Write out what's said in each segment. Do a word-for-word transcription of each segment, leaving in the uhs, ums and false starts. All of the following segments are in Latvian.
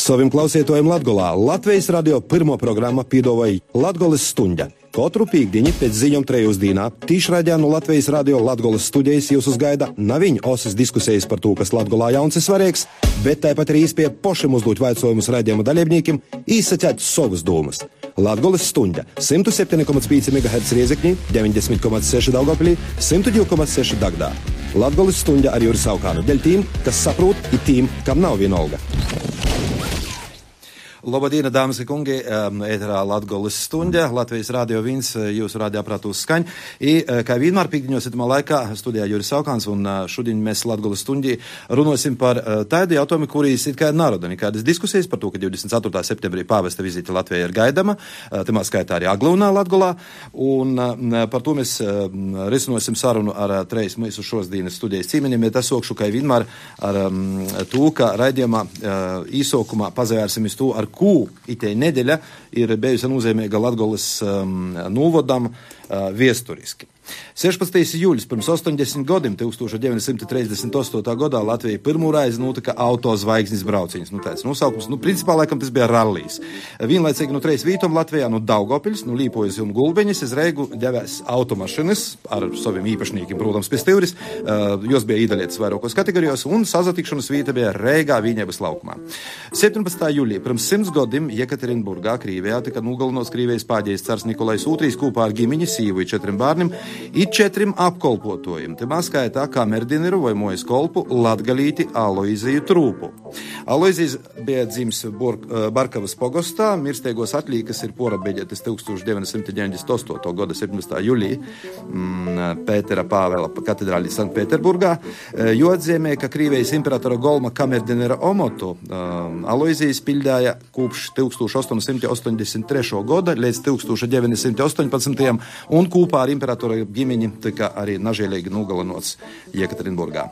Savim klausietojiem Latgolā Latvijas radio pirmo programma piedāvāja Latgoles stuņģa. Katru pīkdiņu pēc ziņām trejos dīnā tīšraidē no Latvijas radio Latgoles studijas jūs uzgaida naviņu osas diskusijas par to, kas Latgolā jauns ir svarīgs, bet tāpat arī īspēja pošiem uzdot vaicojumus raidījuma dalībniekiem īsacēt savus domas. Latgoles stuņģa simt septiņi komats pieci megaherca Riezekņī, deviņdesmit komats seši Daugavpilī, simt divi komats seši Dagdā. Latgoles stuņģa ar Juri Saukānu deļ tīm, kas saprot, i tīm, kam nav vienalga. Labdien, dāmas un kungi, ēterā Latgoles stuņģa, Latvijas radio viens, jūsu radioaparātūs skaņ. I, kā vienmēr pīkdiņos itamā laikā studijā Juris Saukāns, un šodien mēs Latgoles stuņģī runosim par tādu jautājumu, kurīs it kā naroda nekādas diskusijas par to, ka divdesmit ceturtā septembrī pāvesta vizīte Latvijā ir gaidama, tamā skaitā arī Aglūnā Latgolā, un par to mēs risinosim sarunu ar treis mūsu šosdienas studijas cīmeņiem, bet es sokšu, kā vienmēr ar to, ka raidījumā īsokumā pazavērsimies to, ar kū itei nedeļa ir bijusi nozīmīga Latgoles um, novodam uh, viesturiski. sešpadsmitais jūļs pirms astoņdesmit gadiem, tūkstoš deviņsimt trīsdesmit astotajā gadā Latvijā pirmo reizi notika autozvaigznes brauciņas. Nu, tāds nosaukums, nu, principā, laikam, tas bija rallijs. Vienlaicīgi no treis vītom Latvijā, no Daugavpiļas, no Līpojas un Gulbeņas, iz Reigu devēs automašinas ar saviem īpašniekiem, protams, pie Stivris. Uh, jos bija īdalietas vairākos kategorijos, un sazatikšanas vieta bija Reigā Vīņebas laukumā. septiņpadsmitā jūlijā pirms simts gadiem Jekaterinburgā, Krīvijā, tika nogalinots Krīvijas pāģējs cars Nikolais Ūtrīs kopā ar ģimeņi, sīvu i četriem bērniem i četrim apkolpotojiem. Te skaitā kamerdineru vai mojas kolpu Latgalīti Aloiziju Trūpu. Aloizijas bija dzimis Barkavas pogostā, mirsteigos atlīkas ir porabeģētas tūkstoš deviņsimt deviņdesmit astotajā gada septiņpadsmitā jūlijā mm, Pētera Pāvela katedrālī Sanktpēterburgā, jo atzīmē, ka Krīvijas imperatora Golma kamerdinera omotu um, Aloizijas pildāja kopš tūkstoš astoņsimt astoņdesmit trešā gada līdz tūkstoš deviņsimt astoņpadsmitajam un kopā ar imperatora ģimeņi tika arī nažēlīgi nogalinots Jekaterinburgā.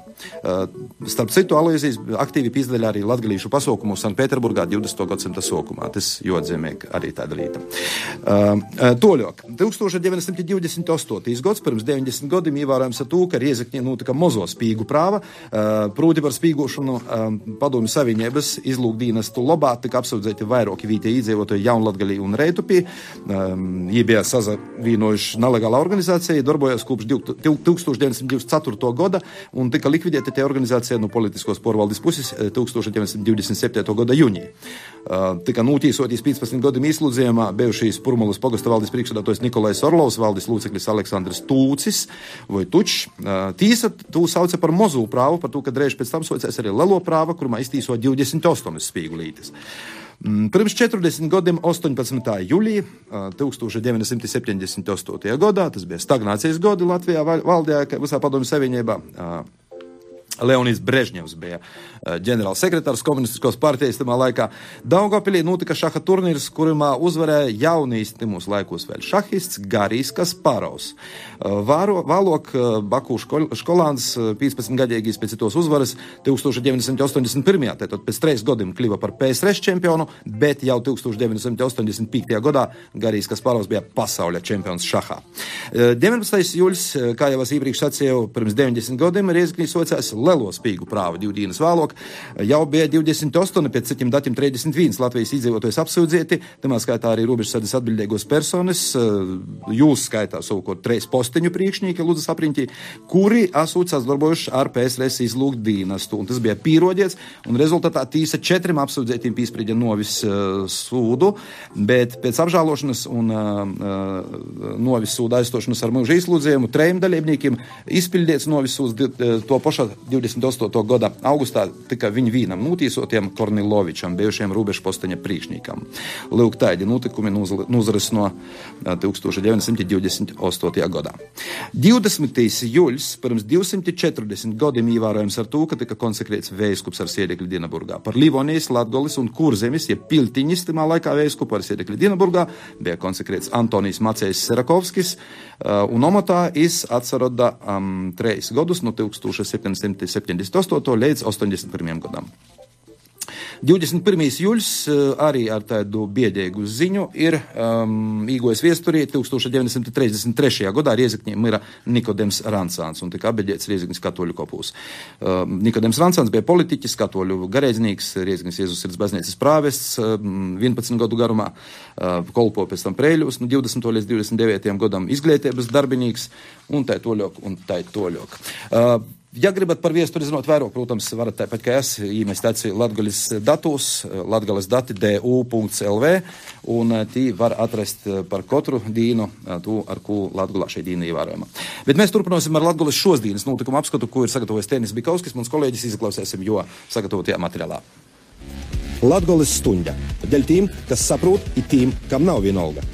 Uh, starp citu, Aloizijas aktīvi pīzdaļā arī latgalīšu pasaukumu Sanktpēterburgā divdesmitā gadsimta sokumā. Tas joatzīmē arī tāda līta. Uh, toļok. tūkstoš deviņsimt divdesmit astotais gads, pirms deviņdesmit gadiem ievērojams ar to, ka Riezekņē notika mozo spīgu prāva. Uh, prūti par spīgošanu uh, Padomju Savienības izlūkdīnestu lobā tika apsūdzēti vairāki vītie iedzīvotāji Jaunlatgalī un Reitupī. Um, Jie bija sazavīnojuši nelegāla organizācija, darbojas kopš tūkstoš deviņsimt divdesmit ceturtā gada un tika likvidēta tie organizācija no politiskos porvaldes puses tūkstoš deviņsimt divdesmit septītā gada jūnijā. Uh, tika notīsoties piecpadsmit gadiem izslūdzījumā bijušīs Purmulas pogosta valdes priekšsēdētājs Nikolais Orlovs, valdes loceklis Aleksandrs Tūcis vai Tučs. Uh, tīsa tū sauca par mozu prāvu, par to, ka drēž pēc tam saucēs arī lelo prāva, kurumā iztīso divdesmit astoņas spīgulītes. Pirms četrdesmit gadiem astoņpadsmitā jūlijā tūkstoš deviņsimt septiņdesmit astotajā gadā, tas bija stagnācijas gadi Latvijā valdījā visā Padomju Savienībā, Leonids Brežņevs bija ģenerāls sekretārs komunistiskos partijas tamā laikā. Daugavpilī notika šaha turnīrs, kurumā uzvarēja jaunīs timos laikos vēl šahists Garijs Kasparovs. Vāro, Vālok Baku škol, školāns piecpadsmitgadīgīs pēc tos uzvaras tūkstoš deviņsimt astoņdesmit pirmajā, tātad pēc treis gadiem kļuva par P S R čempionu, bet jau tūkstoš deviņsimt astoņdesmit piektajā gadā Garijs Kasparovs bija pasaules čempions šahā. deviņpadsmitais jūļs, kā jau es iepriekš sacīju, pirms deviņdesmit gadiem Riezekņī socās lelo spīgu prāvu divu dienas vēlāk. Jau bija divdesmit astoņi, pēc citiem datiem trīsdesmit viens Latvijas iedzīvotājs apsūdzēti, tamā skaitā arī robežsardas atbildīgos personas, jūs skaitā savukārt treis posteņu priekšnieki, lūdzu sapriņķī, kuri asūcās darbojuši ar P S R izlūgt dīnastu. Un tas bija pīrodiets, un rezultātā tīsa četrim apsūdzētiem pīsprieģa novis uh, sūdu, bet pēc apžālošanas un uh, novis sūda aizstošanas ar mūža izlūdzējumu trejiem dalībniekiem izpildīts novis sūds to pašā divdesmit astotajā gada augustā tika viņu vīnam notīsotiem Kornilovičam, bijušiem robežu posteņa priekšniekam. Lūk, tādi notikumi nozaras no tūkstoš deviņsimt divdesmit astotajā gadā. divdesmitais jūļs pirms divsimt četrdesmit gadiem ievērojams ar to, ka tika konsekrēts vējskups ar siedekļu Dienaburgā. Par Livonijas, Latgoles un Kurzemes, ja Piltiņas timā laikā vējskupu ar siedekļu Dienaburgā bija konsekrēts Antonijs Macejs Serakovskis, un omatā is atsaroda um, treis gadus no tūkstoš septiņsimt septiņdesmit astotajā līdz astoņdesmit pirmajam gadam. divdesmit pirmais jūļs arī ar tādu biedēgu ziņu ir um, īgojas viesturī tūkstoš deviņsimt tridesmit trešajā gadā Riezikņī mira Nikodems Rancāns un tika apbeģēts Riezikņas katoļu kopūs. Um, Nikodems Rancāns bija politiķis, katoļu garēdznieks, Riezikņas Jēzus sirds baznīcas prāvests um, vienpadsmit gadu garumā, uh, kolpo pēc tam Preļus, no divdesmit līdz divdesmit devītajam gadam izglītības darbinīgs un tā toļok un tā toļok. Uh, Ja gribat par viesturi zinot vairāk, protams, varat tāpat kā es īmest aci Latgolis datus, latgolis dati d u punkts l v, un tī var atrast par katru dīnu, to, ar ko Latgolā šī dīna ievērojama. Bet mēs turpināsim ar Latgolis šos dīnas notikumu apskatu, ko ir sagatavojis Tenis Bikauskis, mums kolēģis izklausēsim, jo sagatavotajā materiālā. Latgolis stuņda. Dēļ tīm, kas saprot, ir tīm, kam nav vienalga.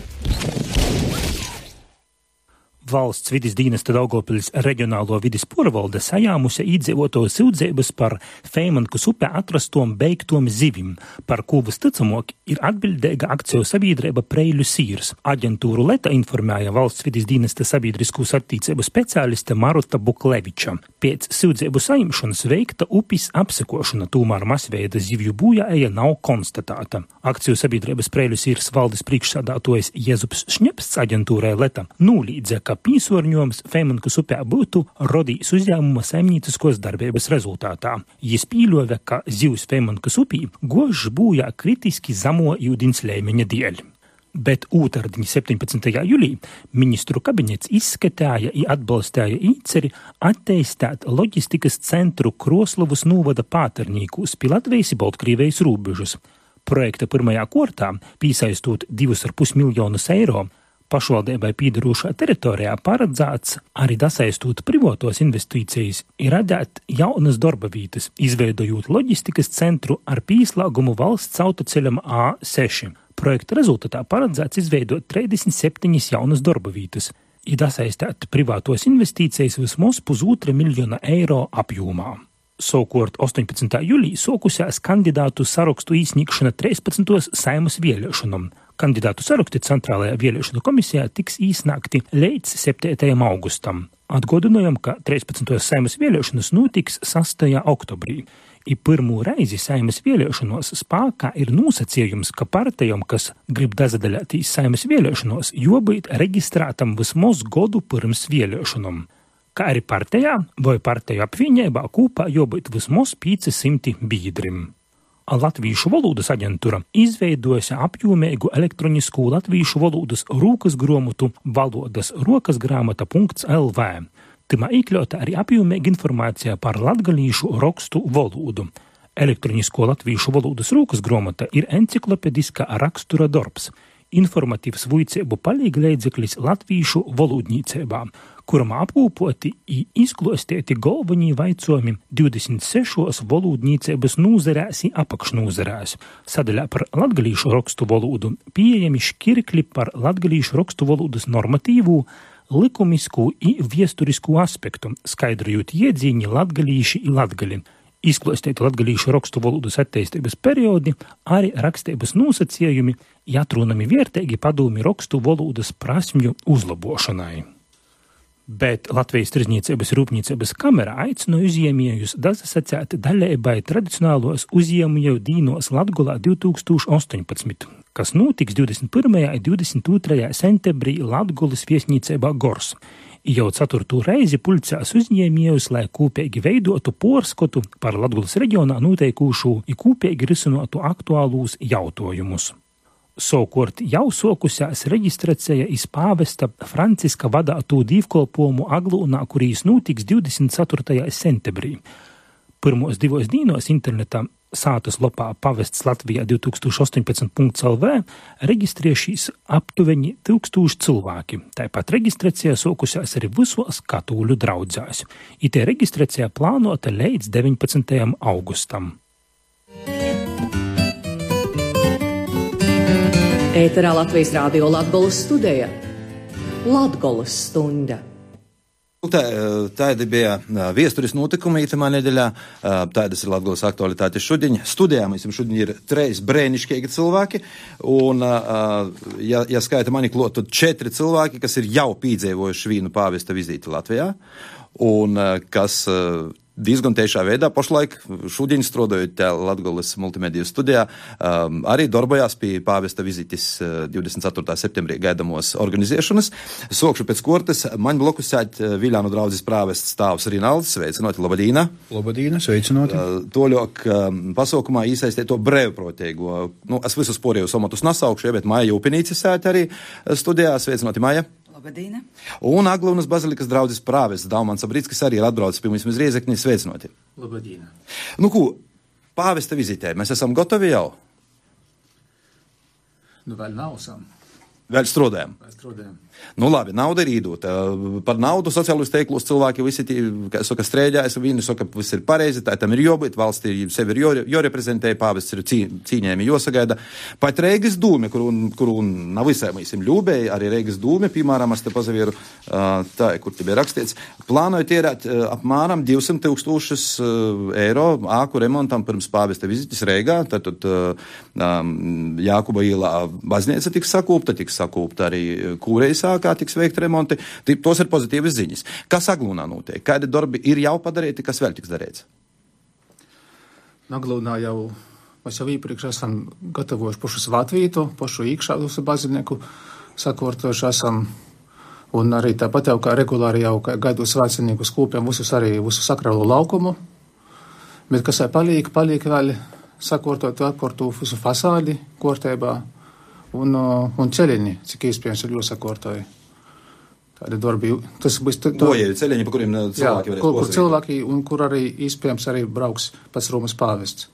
Valsts vides dienesta Daugavpils reģionālo vides porvalde sajāmusi iedzīvotāju sūdzības par Feimankas upē atrastom beigtom zivim, par ko visticamāk ir atbildīga akciju sabiedrība Preļu sīrs. Aģentūru Leta informēja valsts vides dienesta sabiedriskos attīcību speciāliste Maruta Bukleviča. Pēc sūdzību saimšanas veikta upis apsekošana, tomēr masveida zivju bojāja nav konstatēta. Akciju sabiedrības Preļu sīrs valdes priekšsādātojs Jezups Šņepsts aģentūrai Leta nūlīdze, ka pīsorņojums Feimankas upē būtu rodījis uzņēmuma saimnieciskos darbības rezultātā. Jis pīļoja, ka zivs Feimankas upī gožs bojā kritiski zemo ūdens līmeņa dēļ. Bet ūtardiņ septiņpadsmitajā jūlī ministru kabinets izskatāja i atbalstāja īceri atteistēt loģistikas centru Kroslavas novada Pāternīkūs pi Latvijas i Baltkrīvijas rūbežus. Projekta pirmajā kortā, pīsaistot divus ar pus miljonus eiro, pašvaldībai pīdarošā teritorijā paredzēts arī dasaistot privātos investīcijas ir radēt jaunas darba vītas, izveidojot loģistikas centru ar pīslāgumu valsts autoceļam A seši. Projekta rezultatā paredzēts izveidot trīsdesmit septiņas jaunas darba vītas, ir dasaistēt privātos investīcijas vismaz pusotra miljona eiro apjomā. Savukārt astoņpadsmitā jūlī sokusās kandidātu sarakstu īsniegšana trīspadsmitajām Saeimas vēlēšanām. Kandidātu saraksti Centrālajā vēlēšanu komisijā tiks īsnākti līdz septītajam augustam. Atgādinājam, ka trīspadsmitās Saeimas vēlēšanas notiks sastajā oktobrī. I pirmo reizi Saeimas vēlēšanos spēkā ir nosacījums, ka partijām, kas grib dazadaļātīs Saeimas vēlēšanos, jābūt reģistrētam vismaz godu pirms vēlēšanām. Kā arī partijā vai partiju apvienībā kopā jābūt vismaz pieci simti biedrim. Latvīšu valodas aģentūra izveidojusi apjomīgu elektronisku latvīšu valodas rūkas grāmatu valodas rokasgrāmata punkts l v. Timā iekļauta arī apjomīga informācija par latgalīšu rakstu valodu. Elektronisko latvīšu valodas rūkas grāmata ir enciklopediska rakstura darbs, informatīvs vuicību palīgleidzeklis latvīšu valodnīcībā, kuram apkopoti i izklostēti galvenie vaicojumi divdesmit sešos valodnīcības nūzerēs i apakšnūzerēs. Sadaļā par latgalīšu rakstu valodu pieejami škirkļi par latgalīšu rakstu valodas normatīvu, likumisku i viesturisku aspektu, skaidrojot iedzīņi latgalīši i latgali. Izklostēti latgalīšu rakstu valodas attīstības periodi, arī rakstības nosacījumi, atrunami vērtīgi padomi rakstu valodas prasmju uzlabošanai. Bet Latvijas Tirdzniecības rūpniecības kamera aicina uzņēmējus dasasacēt daļēbai tradicionālos uzņēmēju dīnos Latgolā divtūkstoš astoņpadsmit, kas notiks divdesmit pirmajā un divdesmit otrajā septembrī Latgolas viesnīcībā Gors. Jau ceturto reizi pulcās uzņēmējus, lai kopīgi veidotu porskotu par Latgolas reģionā noteikūšu i kopīgi risinotu aktuālūs jautājumus. Savukārt jau sokusās reģistrācija iz pāvesta Franciska vadātu dīvkolpojumu Aglūnā, kurīs notiks divdesmit ceturtajā septembrī. Pirmos divos dīnos internetā sātas lopā pavests Latvijā divtūkstoš astoņpadsmit punkts l v reģistrēšīs aptuveni tūkstoši cilvēki. Tāpat reģistrācija sokusās arī visos katoļu draudzēs. Itē reģistrācija plānota līdz deviņpadsmitajam augustam. Ēterā Latvijas Rādio Latgolas studija. Latgolas stunda. Tā, tādi bija viesturis notikumi itamā nedēļā, tādas ir Latgolas aktualitātes šodien. Studijā mēs šodien ir treis brēniškīgi cilvēki, un, ja, ja skaita mani klot, tad četri cilvēki, kas ir jau pīdzēvojuši vīnu pāvesta vizīti Latvijā, un kas diezgan tiešā veidā. Pašlaik šodien strādājot Latgoles multimediju studijā, um, arī darbojās pie pāvesta vizites divdesmit ceturtā septembrī gaidamos organizēšanas. Sokšu pēc kortes, man blokus sēt Viļānu draudzes prāvests stāvs Rinalds. Sveicinoti, labadīna! Labadīna, sveicinoti! Uh, toļok um, pasaukumā īsaistē to brevproteigo. Nu, es visus porējus somatus nasaukšu, bet Maja Jūpinīca sēt arī studijā. Sveicinoti, Maja! Labadīna. Un Aglunas bazilikas draudzes prāvests Daumans Abrickis arī ir atbraucis pie mums iz Riezekni. Sveicinoti. Labadīna. Nu, ko, pāvesta vizitē, mēs esam gatavi jau? Nu, vēl nav sam. Vēl strādājam. Vēl strādājam. Nu, labi, nauda ir īdota. Par naudu sociālos teiklos cilvēki visi, tī, kā saka, strēģājas, viņi saka, viss ir pareizi, tā tam ir jābūt, valstī sevi ir jāreprezentē, pāvests ir cī, cīņēmi jāsagaida. Pat Reigas dūme, kuru, kuru nav visai mīsim ļūbēji, arī Reigas dūme, piemēram, es te pazavieru, tā, kur te bija rakstīts, plānoja tierēt apmēram divsimt tūkstošus eiro āku remontam pirms pāvesta vizites Reigā, tad um, Jākuba ielā baznīca tiks sakūpta, tiks sakūpta arī Kūreisā, kā tiks veikt remonti. Tos ir pozitīvas ziņas. Kas Aglūnā notiek? Kādi darbi ir jau padarīti, kas vēl tiks darīts? Aglūnā jau, mēs jau īpriekš esam gatavojuši pašu svētvītu, pašu īkšādus baznīku, sakārtojuši esam, un arī tāpat jau kā regulāri jau gaidu svētceniekus kūpjam visus arī visu sakrālo laukumu, bet kas jau palīk, palīk vēl sakārtot, atkārtu visu fasādi kārtībā, Un, un ceļiņi, cik iespējams ir jāsakārtoja. Tādi darbi, tas būs... Gojeļi ceļiņi, pa kuriem cilvēki jā, varēs kur, kur posīt. cilvēki, un kur arī iespējams arī brauks pats Romas pāvests.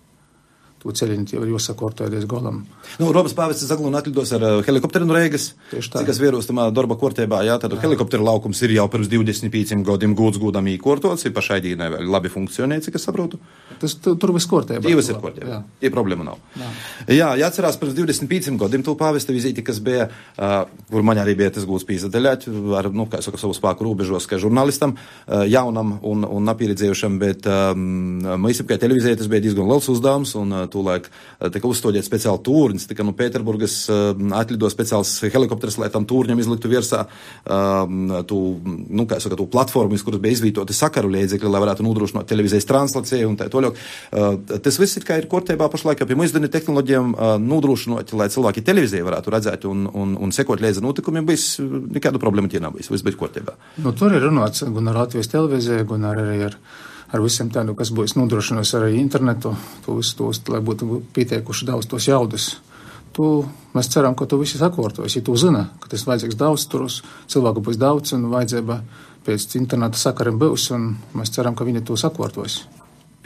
To ceļiņi jau ir jāsakārtoja līdz golam. Nu, Romas pāvests Aglūnā atlidos ar uh, helikopteru no Reigas. Tieši tā. Cik es vierostamā darba kārtībā, jā, tad helikopteru laukums ir jau pirms divdesmit pieciem gadiem gūts gūdam īkortots, ir pašai dīnai vēl labi funkcionē, cik es saprotu. Tas tu, tur viss kārtībā. Divas ir kārtībā. Tie problēma nav. Jā, jā jāatcerās pirms divdesmit pieciem gadiem to pāvesta vizīti, kas bija, uh, kur man arī bija tas gūts pīzadaļāt, ar, nu, kā saka, savu spēku robežos, kā žurnālistam, uh, jaunam un, un napieredzējušam, bet um, mēs, kā televīzija, tas bija diezgan liels uzdevums, un uh, tūlaik uh, tika uzstādīts speciāli tūrnis, tika no Pēterburgas uh, atlido speciāls helikopters, lai tam tūrņam izliktu virsā uh, tu, nu, kā saka, tu platformu, kuras bija izvītoti sakaru līdzekļi, lai varētu nodrošināt televīzijas translāciju un tā toļok. Uh, tas viss ir kā ir kārtībā pašlaik, pie mūsdienu tehnoloģijām uh, nodrošinot, lai cilvēki televīziju varētu redzēt un, un, un sekot līdzi notikumiem, bijis nekādu problēmu tie nav bijis, viss bija kārtībā. Nu, tur ir runāts gan ar Latvijas televīziju, gan ar, arī ar, ar visiem tādu, kas būs nodrošinos arī internetu, to visu tos, lai būtu pieteikuši daudz tos jaudus. Tu, mēs ceram, ka tu visi sakārtos, ja tu zina, ka tas vajadzīgs daudz turus, cilvēku būs daudz un vajadzība pēc interneta sakariem būs, un mēs ceram, ka viņi to sakārtos.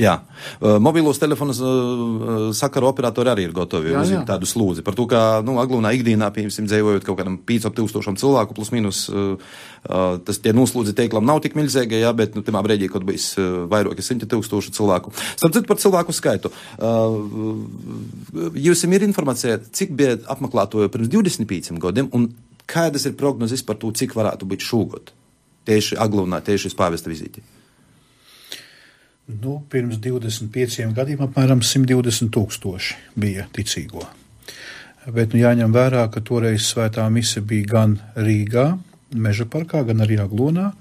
Jā, uh, mobilos telefonus uh, sakaru operatori arī ir gatavi jā, uz jā. tādu slūdzi. Par to, ka, nu, Aglūnā ikdienā, piemēram, dzīvojot kaut kādam pieciem tūkstošiem cilvēku, plus minus, uh, uh, tas tie noslūdzi teiklam nav tik milzīgi, jā, bet, nu, timā brīdī, kad bijis uh, vairāki simti tūkstoši cilvēku. Starp citu par cilvēku skaitu. Uh, jūs ir informācija, cik bija apmeklētoju pirms divdesmit pieciem gadiem, un kādas ir prognozes par to, cik varētu būt šogad? Tieši Aglūnā, tieši uz pāvesta vizīti. Nu, pirms divdesmit pieciem gadiem apmēram simt divdesmit tūkstoši bija ticīgo. Bet nu, jāņem vērā, ka toreiz svētā mise bija gan Rīgā, Meža parkā, gan arī Aglūnā.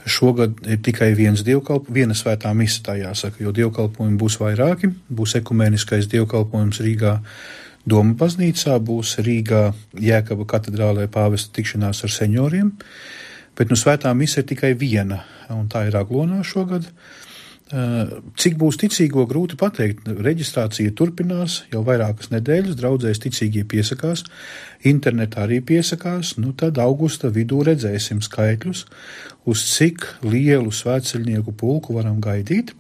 Šogad ir tikai viens dievkalp, viena svētā mise, tā jāsaka, jo dievkalpojumi būs vairāki. Būs ekumēniskais dievkalpojums Rīgā Doma baznīcā, būs Rīgā Jēkaba katedrālē pāvesta tikšanās ar seņoriem. Bet nu, svētā mise ir tikai viena, un tā ir Aglūnā šogad. Cik būs ticīgo, grūti pateikt. Reģistrācija turpinās jau vairākas nedēļas, draudzēs ticīgie piesakās, internetā arī piesakās, nu tad augusta vidū redzēsim skaitļus, uz cik lielu svētceļnieku pulku varam gaidīt.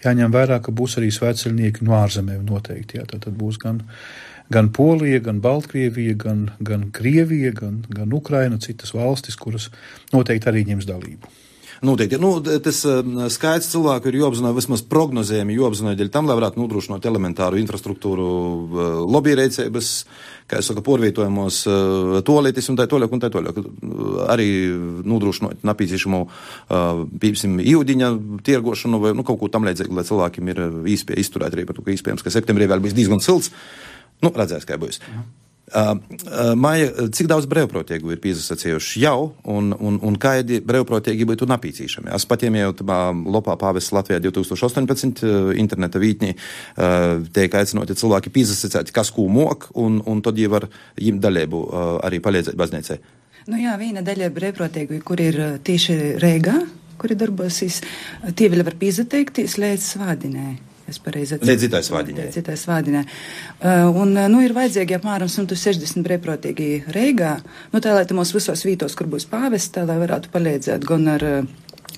Jāņem vērā, ka būs arī svētceļnieki no ārzemēm noteikti, jā, tad būs gan, gan Polija, gan Baltkrievija, gan, gan Krievija, gan, gan Ukraina, citas valstis, kuras noteikti arī ņems dalību. Noteikti. Nu, tas skaits cilvēku ir jāapzināja vismaz prognozējumi, jāapzināja dēļ tam, lai varētu nodrošināt elementāru infrastruktūru, lobby reicības, kā es saku, porvietojamos toaletis un tā toļāk un tā toļāk. Arī nodrošināt napīzīšamu, pīpsim, īudiņa tirgošanu vai, nu, kaut ko tam līdzīgi, lai cilvēkiem ir īspēja izturēt arī par to, ka īspējams, ka septembrī vēl bijis diezgan silts. Nu, redzēs, kā būs. Uh, uh, Maija, cik daudz brevprotiegu ir pīzasacījuši jau, un, un, un kādi brevprotiegi būtu napīcīšami? Es patiem jau tamā lopā pāvests Latvijā divtūkstoš astoņpadsmit uh, interneta vītnī uh, teik aicinoti cilvēki pīzasacīt, kas kū mok, un, un tad jau var jim daļēbu uh, arī palīdzēt baznīcai. Nu jā, viena daļa brevprotiegu, kur ir tieši Reigā, kuri darbosies, tie vēl var pīzateikties līdz svādinē. Līdz citai svādinē. Līdz citai svādinē. Uh, un, nu, ir vajadzīgi apmēram simt sešdesmit brevprotīgi Reigā, nu, tā, lai te mūs visos vītos, kur būs pāvests, tā, lai varētu palīdzēt gan ar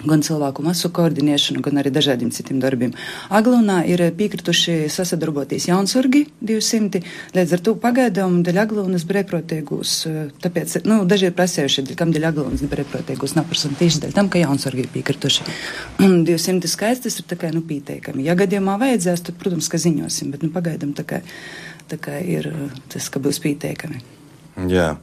gan cilvēku masu koordinēšanu, gan arī dažādiem citiem darbiem. Aglonā ir piekrituši sasadarboties jaunsorgi divsimti, līdz ar to pagaidām daļ Aglonas brevprotiegus, tāpēc, nu, daži ir prasējuši, kam daļ Aglonas brevprotiegus naprasam tieši daļ tam, ka jaunsorgi ir piekrituši. divsimti skaits, tas ir tā kā, nu, pieteikami. Ja gadījumā vajadzēs, tad, protams, ka ziņosim, bet, nu, pagaidām tā kā, tā kā ir tas, ka būs pieteikami. Jā.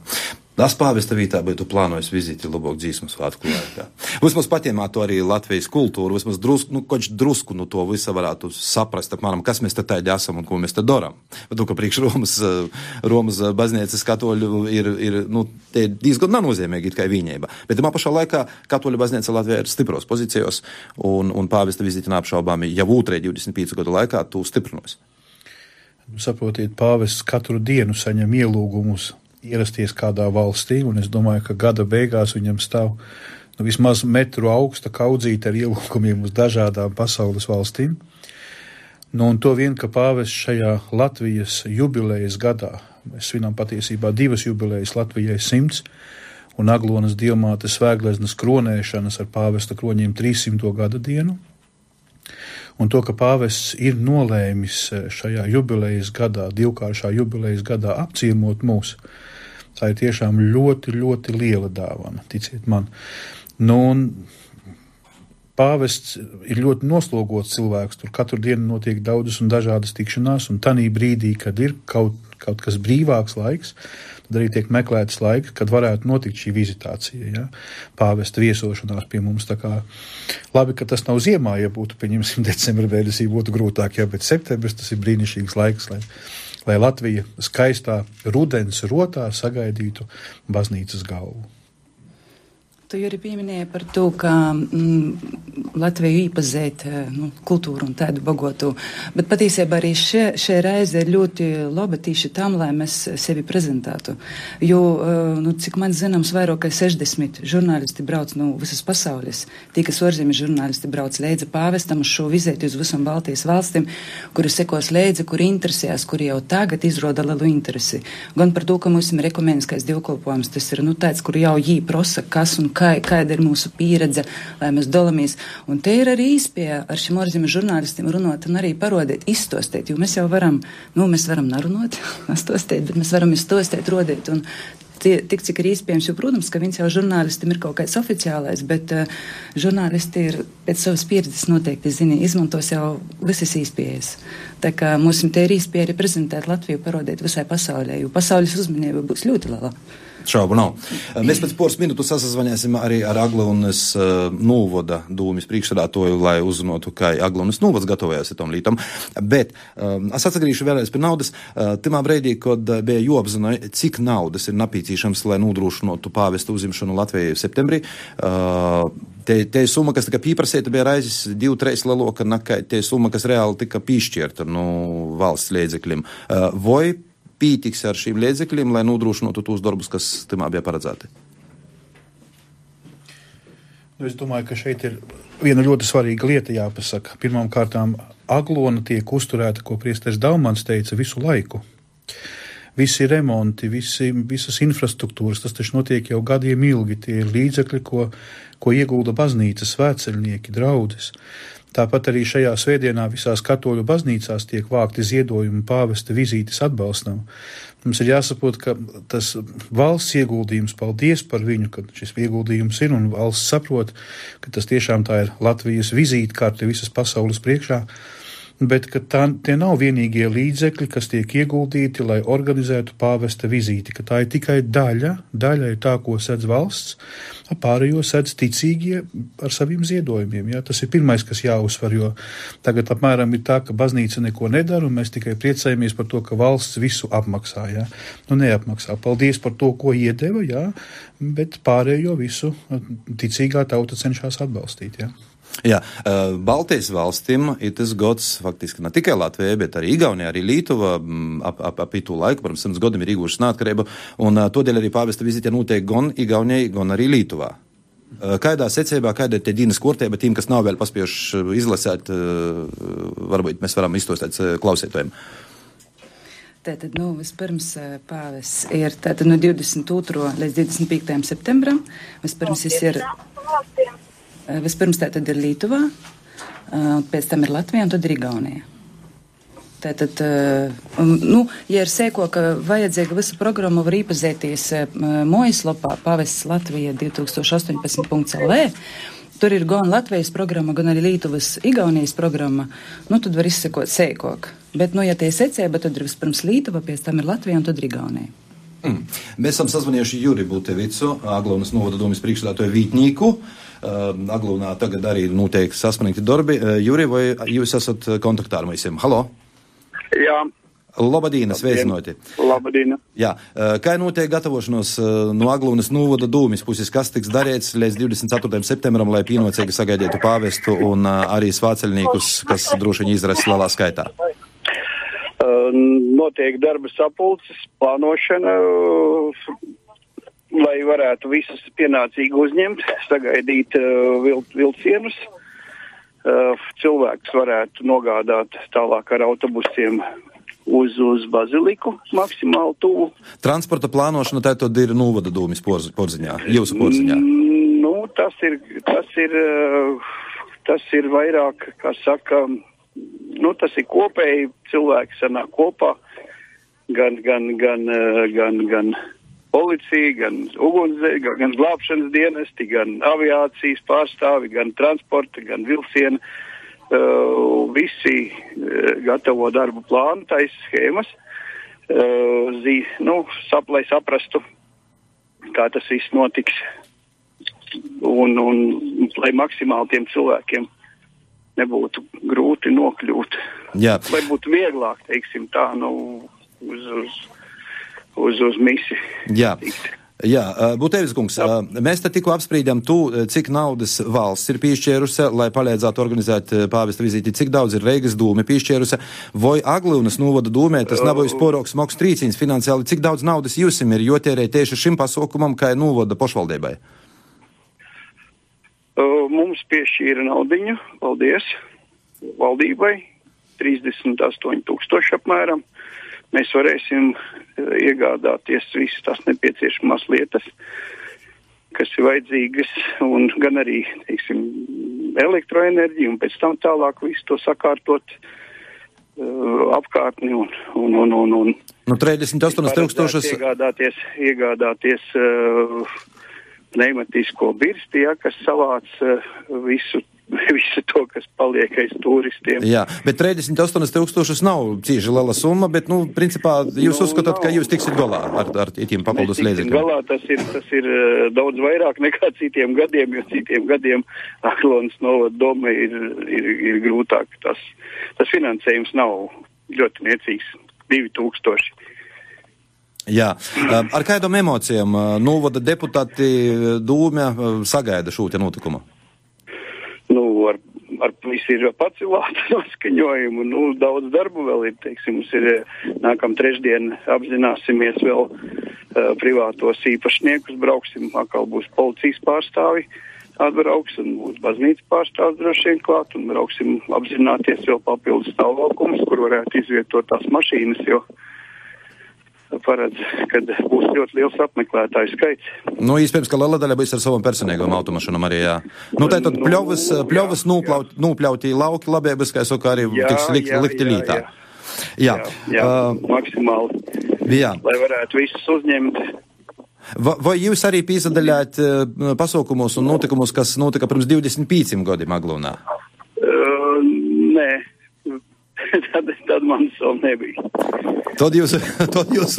Tas pāvesta vītā būtu plānojis vizīti Lubok dzīsmu svētku laikā. Vismaz patiemātu arī Latvijas kultūru, vismaz drusku, nu, koč drusku no to visa varētu saprast, apmēram, kas mēs te tādi esam un ko mēs te doram. Bet, ka priekš Romas, Romas baznīcas katoļu ir, ir, nu, te diezgan nenozīmīgi it kā viņēba. Bet tamā pašā laikā katoļu baznīca Latvijā ir stipros pozīcijos, un, un pāvesta vizīti neapšaubāmi jau otrē divdesmit pīcu gadu laikā tu stiprinos. Saprotiet, pāvests katru dienu saņem ielūgumus ierasties kādā valstī, un es domāju, ka gada beigās viņam stāv nu, vismaz metru augsta kaudzīte ar ielūgumiem uz dažādām pasaules valstīm. Nu, un to vien, ka pāvests šajā Latvijas jubilejas gadā, mēs svinām patiesībā divas jubilejas Latvijai simts, un Aglonas dievmātes Svētgleznas kronēšanas ar pāvesta kroņiem trīssimto gada dienu. Un to, ka pāvests ir nolēmis šajā jubilejas gadā, divkāršā jubilejas gadā apciemot mūs, tā ir tiešām ļoti, ļoti liela dāvana, ticiet man. Nu, un pāvests ir ļoti noslogots cilvēks, tur katru dienu notiek daudzas un dažādas tikšanās, un tanī brīdī, kad ir kaut, kaut kas brīvāks laiks, tad arī tiek meklēts laiks, kad varētu notikt šī vizitācija, ja? Pāvesta viesošanās pie mums. Tā kā labi, ka tas nav ziemā, ja būtu, pieņemsim, decembra mēnesī būtu grūtāk, ja, bet septembris tas ir brīnišķīgs laiks, lai, lai Latvija skaistā rudens rotā sagaidītu baznīcas galvu. Tu arī pieminēji par to, ka mm, Latviju īpazēt nu, kultūru un tādu bagotu, bet patiesībā arī šie, šie reize ir ļoti laba tīši tam, lai mēs sevi prezentētu. Jo, nu, cik man zināms, vairāk kā sešdesmit žurnālisti brauc no visas pasaules. Tie, kas ārzemju žurnālisti brauc līdzi pāvestam uz šo vizēti uz visam Baltijas valstīm, kuri sekos līdzi, kuri interesējas, kuri jau tagad izroda lielu interesi. Gan par to, ka mums ir ekumeniskais dievkalpojums, tas ir nu, tāds, kur jau jī prosa, kas un kā, kāda ir mūsu pieredze, lai mēs dalamies. Un te ir arī īspēja ar šiem ārzemju žurnālistiem runāt un arī parodēt, izstostēt, jo mēs jau varam, nu, mēs varam narunot, stostēt, bet mēs varam izstostēt, rodēt. Un tie, tik cik ir iespējams, jo, protams, ka viens jau žurnālistam ir kaut kāds oficiālais, bet uh, žurnālisti ir pēc savas pieredzes noteikti zini, izmantos jau visas iespējas. Tā kā mums te ir iespēja arī prezentēt Latviju, parodēt visai pasaulē, jo pasaules uzmanība būs ļoti liela. Šaubu nav. Mēs pēc poras minūtu sasazvaņāsim arī ar Aglonas uh, Nūvoda dūmis priekšsēdētāju, lai uzzinātu, kā Aglonas Nūvods gatavojās tam lītam. Bet um, es atsagrīšu vēlreiz pie naudas. Uh, timā breidī, kad uh, bija jāapzina, cik naudas ir napīcīšams, lai nodrošinātu pāvesta uzimšanu Latvijai septembrī. Uh, te, te summa, kas tika pīprasēta, bija raizes divu, treis leloka nekā te summa, kas reāli tika pīšķierta no valsts līdzekļiem. Uh, vai pītiks ar šīm līdzekļiem, lai nodrošinātu tos darbus, kas timā bija paredzēti? Nu, es domāju, ka šeit ir viena ļoti svarīga lieta jāpasaka. Pirmām kārtām Aglona tiek uzturēta, ko priesteris Daumans teica, visu laiku. Visi remonti, visi, visas infrastruktūras, tas taču notiek jau gadiem ilgi. Tie ir līdzekļi, ko, ko iegulda baznīca, svētceļnieki, draudzes. Tāpat arī šajā svētdienā visās katoļu baznīcās tiek vākti ziedojumi pāvesta vizītes atbalstam. Mums ir jāsaprot, ka tas valsts ieguldījums, paldies par viņu, ka šis ieguldījums ir, un valsts saprot, ka tas tiešām tā ir Latvijas vizītkarte visas pasaules priekšā. bet ka tā, tie nav vienīgie līdzekļi, kas tiek ieguldīti, lai organizētu pāvesta vizīti, ka tā ir tikai daļa, daļa ir tā, ko sedz valsts, pārējo sedz ticīgie ar saviem ziedojumiem. Ja? Tas ir pirmais, kas jāuzsver, jo tagad apmēram ir tā, ka baznīca neko nedara, un mēs tikai priecājamies par to, ka valsts visu apmaksā. Ja? Nu, neapmaksā. Paldies par to, ko iedeva, ja? Bet pārējo visu ticīgā tauta cenšas atbalstīt. Ja? Jā, Baltijas valstīm ir tas gods faktiski ne tikai Latvijai, bet arī Igaunijai, arī Lietuva ap, ap, ap itū laiku, pirms simts gadiem ir iegūšas neatkarību, un todēļ arī pāvesta vizīte notiek gan Igaunijai, gan arī Lietuvā. Kādā secībā, kāda ir tie dienas kārtība tiem, kas nav vēl paspējuši izlasēt, varbūt mēs varam izstostēt klausītājiem? Tātad, nu, vispirms pāvis ir tātad no divdesmit otrā līdz divdesmit piektajam septembram. Vispirms jis ir, vispirms tātad ir Lietuvā, pēc tam ir Latvija un tad ir Igaunija. Tātad, nu, ja ir sēko, ka vajadzīga visu programmu var īpazēties mājaslapā Pavests Latvija divi tūkstoši astoņpadsmit punkts el vē. Tur ir gan Latvijas programma, gan arī Lietuvas Igaunijas programma. Nu, tad var izsekot sēkok. Bet, nu, ja tie secēba, tad ir vispirms Lietuva, pēc tam ir Latvija un tad ir Igaunija. Mm. Mēs esam sazvanījuši Juri Butevicu, Aglonas novada domas priekšsēdētāju vītnieku. Uh, Aglonā tagad arī notiek sasmanīti darbi. Uh, Juri, vai jūs esat kontaktā ar visiem? Halo? Jā. Labadīna, sveicinoti. Labadīna. Jā, uh, kā notiek gatavošanos uh, no Aglonas novada domas puses, kas tiks darīts līdz divdesmit ceturtajam septembram, lai pienācīgi sagaidītu pāvestu un uh, arī svētceļniekus, kas droši vien izras lielā skaitā? Uh, notiek darba sapulces, plānošana, uh, lai varētu visus pienācīgi uzņemt, sagaidīt uh, vil, vilcienus. Uh, cilvēks varētu nogādāt tālāk ar autobusiem uz, uz baziliku maksimāli tuvu. Transporta plānošana tātad ir novada domas porziņā, jūsu porziņā? Mm, nu, tas ir, tas ir, uh, tas ir vairāk, kā saka, nu, tas ir kopēji, cilvēki sanāk kopā, gan, gan, gan, gan, gan policija, gan ugunsdzēs, gan, gan glābšanas dienesti, gan aviācijas pārstāvi, gan transporta, gan vilciena. Uh, visi uh, gatavo darbu plānu, taisa schēmas, uh, zī, nu, sap, lai saprastu, kā tas viss notiks, un, un lai maksimāli tiem cilvēkiem nebūtu grūti nokļūt. Jā. Lai būtu vieglāk, teiksim tā, nu, uz, uz, uz, uz misi. Jā. Jā, Butevis kungs, mēs te tikko apsprīdām tu, cik naudas valsts ir piešķērusi, lai palīdzētu organizēt pāvesta vizīti, cik daudz ir Reigas dūme piešķērusi, vai Aglunas novada dūmē, tas nabojas poroks moks trīcīns finansiāli, cik daudz naudas jūsim ir jotērē tieši šim pasaukumam, kā novada pošvaldībai? Mums piešķīra naudiņu, paldies, valdībai, trīsdesmit astoņi tūkstoši apmēram. Mēs varēsim iegādāties visas tās nepieciešamās lietas, kas ir vajadzīgas, un gan arī, teiksim, elektroenerģiju, un pēc tam tālāk visu to sakārtot uh, apkārtni un, un, un, un, un nu, trīsdesmit astoņi tūkstošas iegādāties, iegādāties uh, pneimatisko birsti, ja, kas savāc uh, visu visu to, kas paliek aiz turistiem. Jā, bet trīsdesmit astoņi tūkstošus nav cīži liela summa, bet, nu, principā, jūs nu, uzskatāt, nav. Ka jūs tiksit galā ar, ar tiem papildus līdzekļiem? Galā tas ir, tas ir uh, daudz vairāk nekā citiem gadiem, jo citiem gadiem Aglonas novada doma ir, ir, ir grūtāk. Tas, tas finansējums nav ļoti niecīgs, divi tūkstoši. Jā, ar kādām emocijām novada deputāti dūmē sagaida šo te notikumu? Nu, ar, ar visu ir pacilātu noskaņojumu, nu, daudz darbu vēl ir, teiksim, mums ir nākam trešdien apzināsimies vēl uh, privātos īpašniekus, brauksim, atkal būs policijas pārstāvi atbrauks, un būs baznīcas pārstāvs droši vien klāt, un brauksim apzināties vēl papildus stāvvalkumus, kur varētu izvietot tās mašīnas, jo paredz, kad būs ļoti liels apmeklētāju skaits. Nu, iespējams, ka liela daļa būs ar savam personīgam automašīnam arī, jā. Nu, tā tad pļovas, pļovas nūplaut, nūpļautī lauki labēbas, kā es saku, arī jā, tiks likt, jā, likti jā, lītā. Jā, jā, jā, jā uh, maksimāli, jā. Lai varētu visus uzņemt. Va, vai jūs arī pīsadaļāt uh, pasaukumus un notikumus, kas notika pirms divdesmit pieciem gadiem Aglonā? Uh, nē. tad, tad man vēl nebija. Tad jūs, tad jūs,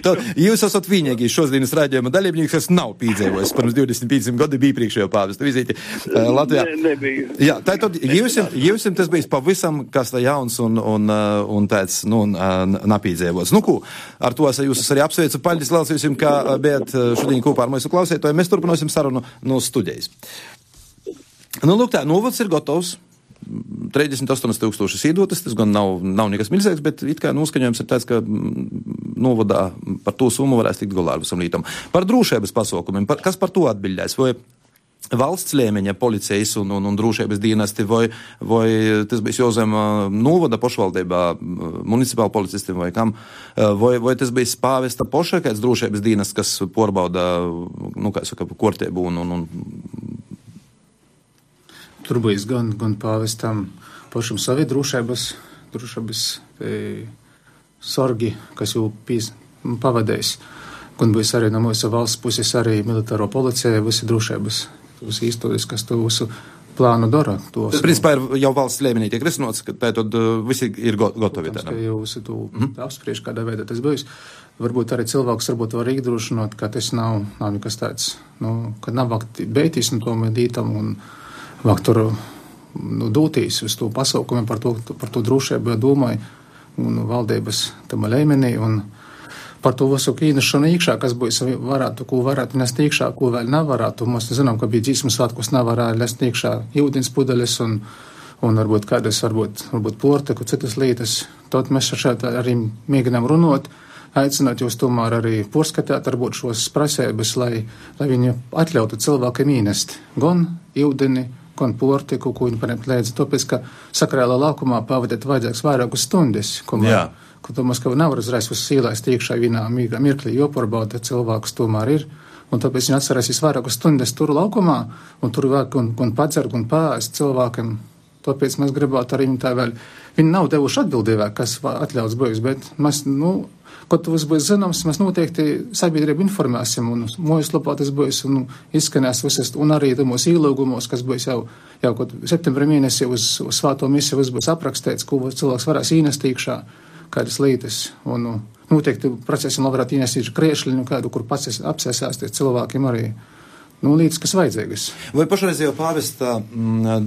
tad jūs esat vienīgais šodienas raidījuma dalībnieks, kas nav piedzīvojis pirms divdesmit pieciem gadiem bija priekšējo pāvestu vizīti uh, Latvijā. Ne, nebija. Jā, tā tad jūsim, jūsim tas bijis pavisam kas tā jauns un, un, uh, un tāds, nu, uh, napīdzīvots. Nu, ko, ar to es jūs arī apsveicu. Paļģis liels jūsim, kā bijat šodien kopā ar mūsu klausētoju. Mēs turpināsim sarunu no studijas. Nu, lūk tā, novads ir gotovs. trīsdesmit astoņi tūkstoši īdotas, tas gan nav, nav nekas milzīgs, bet it kā noskaņojums ir tāds, ka novadā par to summu varēs tikt galā ar visam lītam. Par drošības pasaukumiem, par, kas par to atbildēs? Vai valsts līmeņa policijas un, un, un drošības dienesti, vai, vai tas bija jāuzem novada pašvaldībā municipāli policistiem vai kam, vai, vai tas bija pāvesta poša, kāds drošības dienests, kas porbauda, nu, kā saka, kortēbu un, un, un Tur bijis gan, gan pāvestam pašam savi drošības, drošības e, sorgi, kas jau pīs, pavadējis. Gan bijis arī no mūsu valsts puses arī militāro policija, visi drošības, visi īstoties, kas to visu plānu dara. Tas, principā, ir jau valsts līmenī tiek risinots, ka tā tad visi ir gotovi. Protams, ka jau visi to mm. apspriež, kādā veidā tas bijis. Varbūt arī cilvēks varbūt var iedrošināt, ka tas nav, nav nekas tāds, nu, ka nav vakt beitīs no tom dītam un vāk tur nu, dūtīs uz to pasaukumiem par to, par to drošību, domāju, un valdības tam līmenī, un par to visu īnešanu iekšā, kas būs varētu, ko varētu nest iekšā, ko vēl nevarētu. Mēs zinām, ka bija dzīsmas svētkos nevarēja nest iekšā ūdens pudeles un, un varbūt kādas, varbūt, varbūt porteku, citas lietas. Tad mēs šeit arī mēģinām runot, aicināt jūs tomēr arī porskatāt, varbūt šos prasības, lai, lai viņi atļautu cilvēkiem īnest gan ūdeni, gan portiku, ko viņi paņemt līdzi, tāpēc, ka sakrālā laukumā pavadīt vajadzīgs vairākas stundas, ko man, ko tomēr, ka nevar uzreiz uz sīlēst iekšā vienā mirklī, jo pārbauda cilvēks tomēr ir, un tāpēc viņi atcerēsīs vairākas stundas tur laukumā, un tur vēl gan, gan padzert, gan pāēst cilvēkiem, tāpēc mēs gribētu arī viņi tā vēl, viņi nav devuši atbildībā, kas atļauts bijis, bet mēs, nu, Kaut tas būs zināms, mēs noteikti sabiedrību informēsim, un mūsu lapā tas būs un izskanēs visas, un arī mūsu īlūgumos, kas būs jau, jau kaut septembra mēnesī uz, uz svāto misiju, viss būs aprakstīts, ko cilvēks varēs īnest iekšā, kādas lietas, un noteikti procesam varētu īnest iekšā kriešļiņu, kādu, kur pats apsēsāsties cilvēkiem arī. Nu, līdz, kas vajadzīgas. Vai pašreizējo pāvesta m,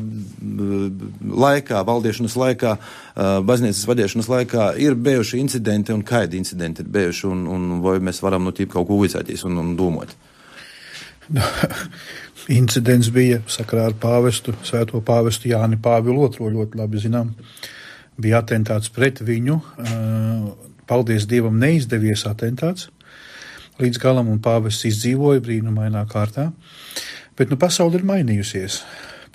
laikā, valdiešanas laikā, baznīcas vadīšanas laikā ir bijuši incidenti un kādi incidenti ir bijuši, un, un vai mēs varam no tīpa kaut ko vicēties un, un domāt? Incidents bija sakarā ar pāvestu, svēto pāvestu Jāni Pāvilu otro, ļoti labi zinām. Bija atentāts pret viņu. Paldies Dievam, neizdevies atentāts līdz galam, un pāvests izdzīvoja brīnumainā kārtā. Bet nu pasauli ir mainījusies.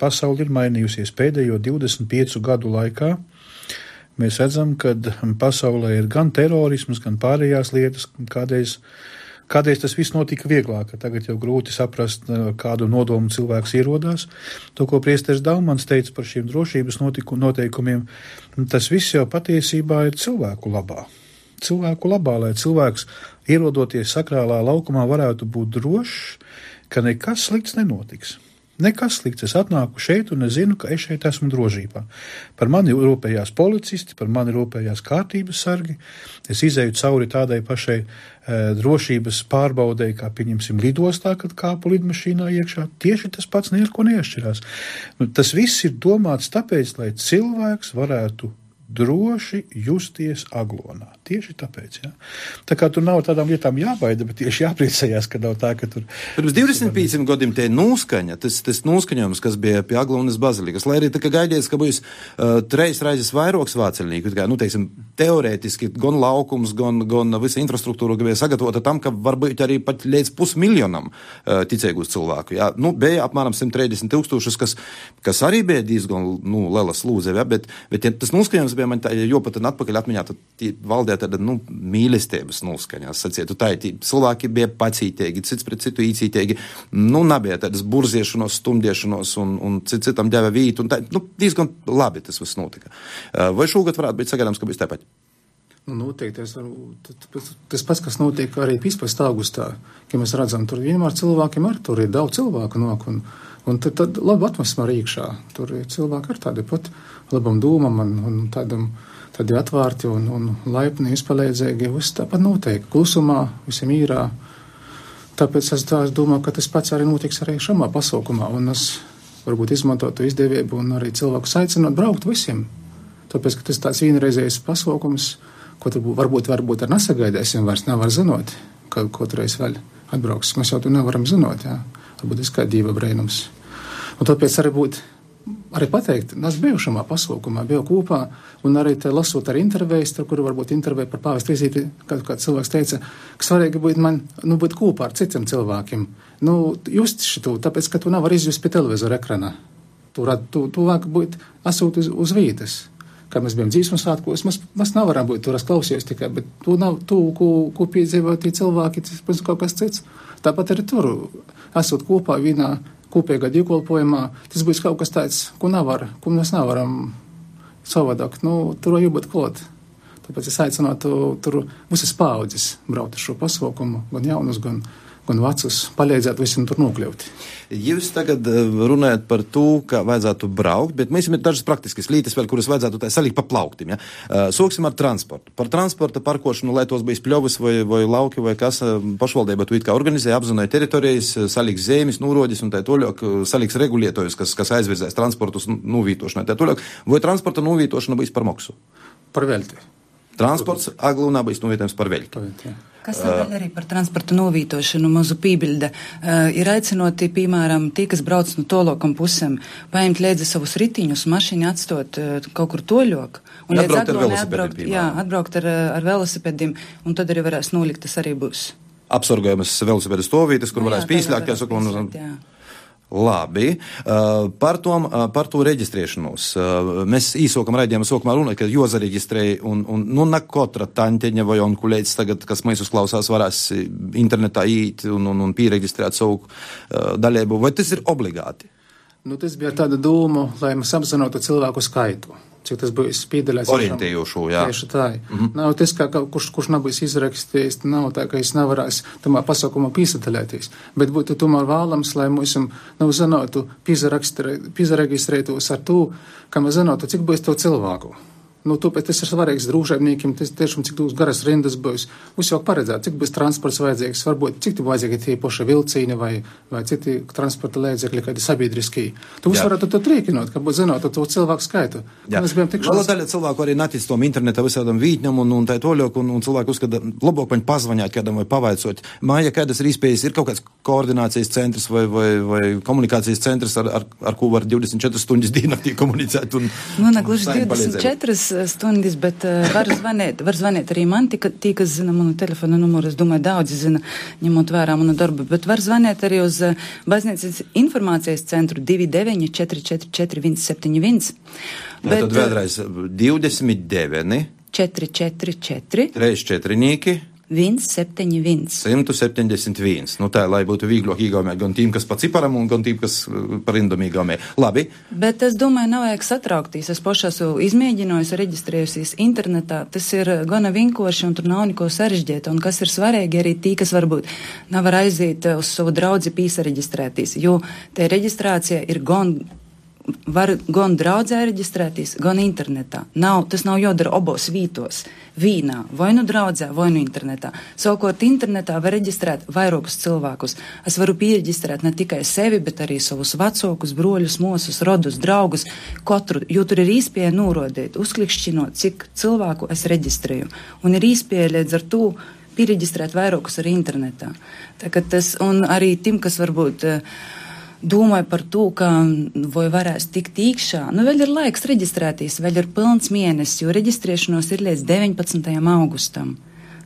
Pasauli ir mainījusies pēdējo divdesmit piecu gadu laikā. Mēs redzam, ka pasaulē ir gan terorisms, gan pārējās lietas, kādreiz, kādreiz tas viss notika vieglāk. Tagad jau grūti saprast, kādu nodomu cilvēks ierodās. To, ko priesteris Daumans teica par šiem drošības notiku, noteikumiem, tas viss jau patiesībā ir cilvēku labā. Cilvēku labā, lai cilvēks, ierodoties sakrālā laukumā, varētu būt drošs, ka nekas slikts nenotiks. Nekas slikts. Es atnāku šeit un es zinu, ka es šeit esmu drošībā. Par mani rūpējās policisti, par mani rūpējās kārtības sargi. Es izēju cauri tādai pašai e, drošības pārbaudei, kā pieņemsim lidostā, kad kāpu lidmašīnā iekšā. Tieši tas pats neko neatšķirās. Nu, tas viss ir domāts tāpēc, lai cilvēks varētu droši justies aglonā. Tieši tāpēc, jā. Tā kā tur nav tādām lietām jābaida, bet tieši jāpriecājās, ka nav tā, ka tur... Pirms divdesmit pieciem gadiem tie nūskaņa, tas, tas nūskaņojums, kas bija pie Aglonas bazilikas, lai arī tā kā gaidies, ka būs uh, treis raizes vairoks vāceļnieku, kā, nu, teiksim, teorētiski gan laukums, gan, gan visa infrastruktūra bija sagatavota tam, ka varbūt arī pat līdz pusmiljonam uh, ticēgus cilvēku, jā. Nu, bija apmēram simt trīsdesmit tūkstošus, kas, kas arī bija diezgan, nu, liela slūze, jā, bet, bet ja tas nūskaņojums bija man tā, jo pat atpakaļ atmiņā, tad valdē tāda, nu, mīlestības nūskaņās, sacietu, tā ir, cilvēki bija pacītīgi, cits pret citu īcītīgi, nu, nebija tādas burziešanos, stumdiešanos un, un cit citam deva vītu, un tā, nu, diezgan labi tas viss notika. Vai šogad varētu būt sagaidāms, ka būs tāpat? Nu, noteikti, es varu, tas pats, kas notiek arī pīspastu augustā, ka mēs redzam, tur vienmēr cilvēkiem ar, tur ir daudz cilvēku nok, un, un tad, tad labi atmosfēra iekšā, tur ir cilvēki ar tādi pat labam dūmam un, un tādam, tādi atvārti un, un laipni, izpalīdzīgi, viss tāpat notiek, klusumā, visiem īrā, tāpēc es, tā, es domāju, ka tas pats arī notiks arī šamā pasaukumā, un es varbūt izmantotu izdevību un arī cilvēkus aicinot braukt visiem, tāpēc, ka tas tāds vienreizējs pasaukums, ko tu varbūt, varbūt ar nesagaidēsim, vairs nevar zinot, ka kotreiz vēl atbrauks. Mēs jau tu nevaram zinot, jā. Varbūt es kā dieva brēnums. Un tāpēc arī būt, arī pateikt, es biju šamā pasaukumā, biju kopā, un arī te lasot ar intervējas, tur, kuru varbūt intervēja par pāvestu vizīti, kad kāds cilvēks teica, ka svarīgi būt man, nu, būt kopā ar citiem cilvēkiem. Nu, just šitu, tāpēc, ka tu nevar izjust pie televizora ekrana. Tu, tu, tu vāk būt asūt uz, uz vītas. Kā mēs bijām dzīves svētkos, mēs, mēs nevaram būt tur, es klausījos tikai, bet tu, nav, tu ko, ko piedzīvo tie cilvēki, tas kaut kas cits. Tāpat arī tur, esot kopā vienā kopīgā dievkalpojumā, tas būs kaut kas tāds, ko nevar, ko mēs nevaram savādāk, nu, tur jābūt klāt. Tāpēc es aicinātu tur visas paudzes braukt ar šo pasaukumu, gan jaunus, gan, gan vecus, palīdzēt visiem tur nokļūt. Jūs tagad runājat par to, ka vajadzētu braukt, bet mēs ir dažas praktiskas lietas, vēl, kuras vajadzētu tā salikt pa plauktim. Ja? Soksim ar transportu. Par transporta parkošanu, lai tos bijis pļovas vai, vai lauki vai kas, pašvaldība tu it kā organizēja, apzināja teritorijas, saliks zemes, nūrodis un tā toļāk, saliks regulētojus, kas, kas aizvirzēs transportus nūvītošanai. Tā toļāk, vai transporta nūvītošana bijis par maksu? Par velti. Transports Aglūnā bijis nūvītojums par velti. Par velti, jā. Kas vēl arī par transporta novītošanu mazu pībiļda, uh, ir aicinoti, piemēram, tie, kas brauc no tolokam pusēm, paņemt līdzi savus ritiņus, mašīni atstot uh, kaut kur toļok. Un atbraukt ar Aglonai velosipēdiem, atbraukt, piemēram. jā, atbraukt ar, ar velosipēdiem, un tad arī varēs nolikt, tas arī būs. Apsargojamas velosipēdu stovītes, kur Nu, varēs jā, pīsļāt, kā varēs saka, un... pīsļāt, jā. Labi, uh, par, tom, uh, par to reģistrēšanos. Uh, mēs īsokam raidījām sokumā runāt, ka jāzareģistrēja, un, un nu ne katra taņteņa vai onkuļēts tagad, kas mēs uzklausās, varēs internetā īt un, un, un pīreģistrēt savu uh, daļēbu. Vai tas ir obligāti? Nu, tas bija tāda doma, lai mēs apzinātu cilvēku skaitu. Cik tas būs piedalās. Orientējošu, jā. Tieši tā. Mm-hmm. Nav tas, kā kurš, kurš nav bijis izrakstījis, nav tā, ka es nevarēs tamā pasaukumā pīsadaļēties. Bet būtu tomēr vēlams, lai mums nav zinātu pīzareģistrētos ar to, ka mēs zinātu, cik būs to cilvēku. Nu, tāpēc tas ir svarīgs drūžēmniekiem, tas tiešām cik daudz garas rindas būs. Mums jau paredzēt, cik būs transports vajadzīgs, varbūt cik tu vajadzīgi tie poši vilcīni vai, vai citi transporta līdzekļi, kādi sabiedriskie. Tu jūs varētu to trīkinot, ka būtu zināt to cilvēku skaitu. Mēs bijām tikšos... Vēl daļa cilvēku arī natic tom interneta visādam vītņam un, un tā toļok, un, un cilvēku uzskata, labāk man pazvaņāt kādam vai pavaicot. Māja, kādas ir iespējas, ir kaut kāds koordinācijas centrs vai, vai, vai komunikācijas centrs, ar, ar, ar ko var divdesmit četras stundas diennaktī komunicēt un... Nu, ne gluži divdesmit četras stundas, bet uh, var zvanīt, var zvanīt arī man, tika, tī, kas zina manu telefonu numuru, es domāju, daudzi zina, ņemot vērā manu darbu, bet var zvanīt arī uz uh, baznīcas informācijas centru divi deviņi četri četri četri viens septiņi viens. Bet, tad vēlreiz divdesmit deviņi četri četri četri trīs četrinieki viens septiņi viens. simt septiņdesmit viens. Nu tā, lai būtu vieglāk īgaumē gan tiem, kas pa ciparam un gan tiem, kas par indom īgaumē. Labi. Bet es domāju, nav vajag satraukties. Es pašā esmu izmēģinājusi, reģistrējusies internetā. Tas ir gana vinkoši un tur nav neko sarežģīta. Un kas ir svarīgi arī tī, kas varbūt nevar aiziet uz savu draudzi pīsareģistrēties. Jo te reģistrācija ir gan var gan draudzē reģistrēties, gan internetā. Nav, tas nav jādara obos vītos, vīnā, vai nu draudzē, vai nu internetā. Savukārt internetā var reģistrēt vairākus cilvēkus. Es varu piereģistrēt ne tikai sevi, bet arī savus vecākus, broļus, mosus, rodus, draugus, katru, jo tur ir īspēja norodīt, uzklikšķinot, cik cilvēku es reģistrēju. Un ir īspēja līdz ar to piereģistrēt vairākus arī internetā. Tā, tas, un arī tim, kas varbūt domāju par to, ka vai varēs tikt iekšā. Nu, vēl ir laiks reģistrēties, vēl ir pilns mēnesis, jo reģistrēšanos ir līdz deviņpadsmitajam augustam.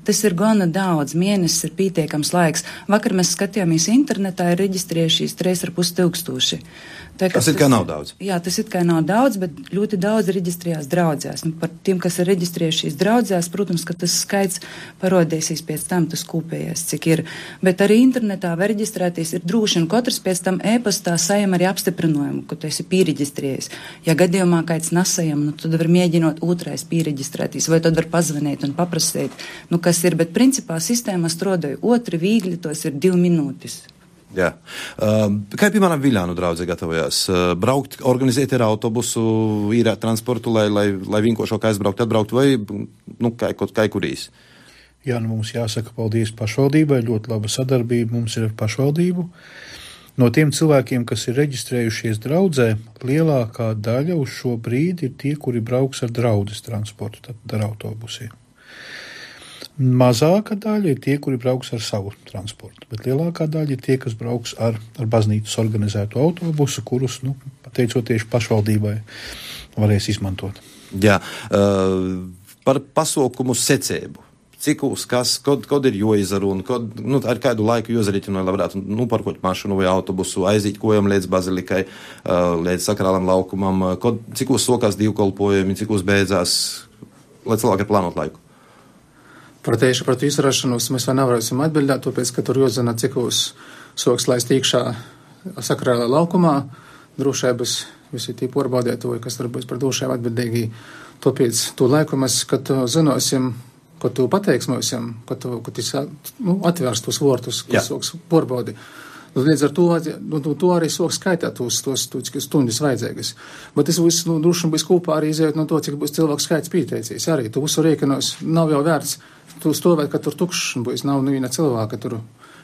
Tas ir gana daudz, mēnesis ir pietiekams laiks. Vakar mēs skatījāmies internetā, ir reģistrējušies trīs ar pus tūkstoši. Tā, tas ir kā nav daudz. Jā, tas ir kā nav daudz, bet ļoti daudz reģistrējās draudzēs. Nu, par tiem, kas ir reģistrējušies draudzēs, protams, ka tas skaits parodīsies pēc tam, tas kopējais, cik ir. Bet arī internetā var reģistrēties ir droši, un katrs pēc tam e-pastā sajam arī apstiprinājumu, ka tu esi pīreģistrējies. Ja gadījumā kāds nesajam, nu, tad var mēģinot otrais pīreģistrēties, vai tad var pazvanīt un paprasīt, nu, kas ir. Bet principā sistēma strādāja otri viegli, tos ir divi minūtes. Jā. Uh, kā, piemēram, Viļānu draudze gatavojās? Uh, braukt, organizēt ar autobusu, īrēt transportu, lai, lai, lai vienkāršāk aizbraukt, atbraukt, vai, nu, kā, kā kurīs? Jā, nu, mums jāsaka paldies pašvaldībai, ļoti laba sadarbība mums ir ar pašvaldību. No tiem cilvēkiem, kas ir reģistrējušies draudzē, lielākā daļa uz šo brīdi ir tie, kuri brauks ar draudzes transportu, tad ar autobusiem. Mazāka daļa ir tie, kuri brauks ar savu transportu, bet lielākā daļa ir tie, kas brauks ar, ar baznīcas organizētu autobusu, kurus, nu, pateicoties pašvaldībai, varēs izmantot. Jā, uh, par pasaukumu secību. Cikūs, kas, kod, kod ir joizaru un kod, nu, ar kādu laiku jozarīķinu, lai varētu, nu, parkot mašinu vai autobusu, aiziet kojam līdz bazilikai, uh, līdz sakrālam laukumam, kod, cikūs sokās divkolpojumi, cikūs beidzās, lai cilvēki plānot laiku. Par tieši par izrašanos mēs vēl nevarēsim atbildēt, tāpēc, ka tur jāzina, cik uz soks laist iekšā sakrālā laukumā, drošības visi tī porbaudētoji, kas darbojas par drošību atbildīgi. Tāpēc to laiku mēs, kad zināsim, kad tu pateiks mums, kad tu, kad tu nu, atvērs tos vortus, kas soks porbaudi. Līdz ar to, nu, to arī soks skaitā tos, tos, tos stundas vajadzīgas. Bet tas viss, nu, droši būs kopā arī izējot no to, cik būs cilvēku skaits pīteicies. Arī tu visu rēkinos nav jau vērts tu stovēt, ka tur tukšs būs, nav neviena cilvēka tur.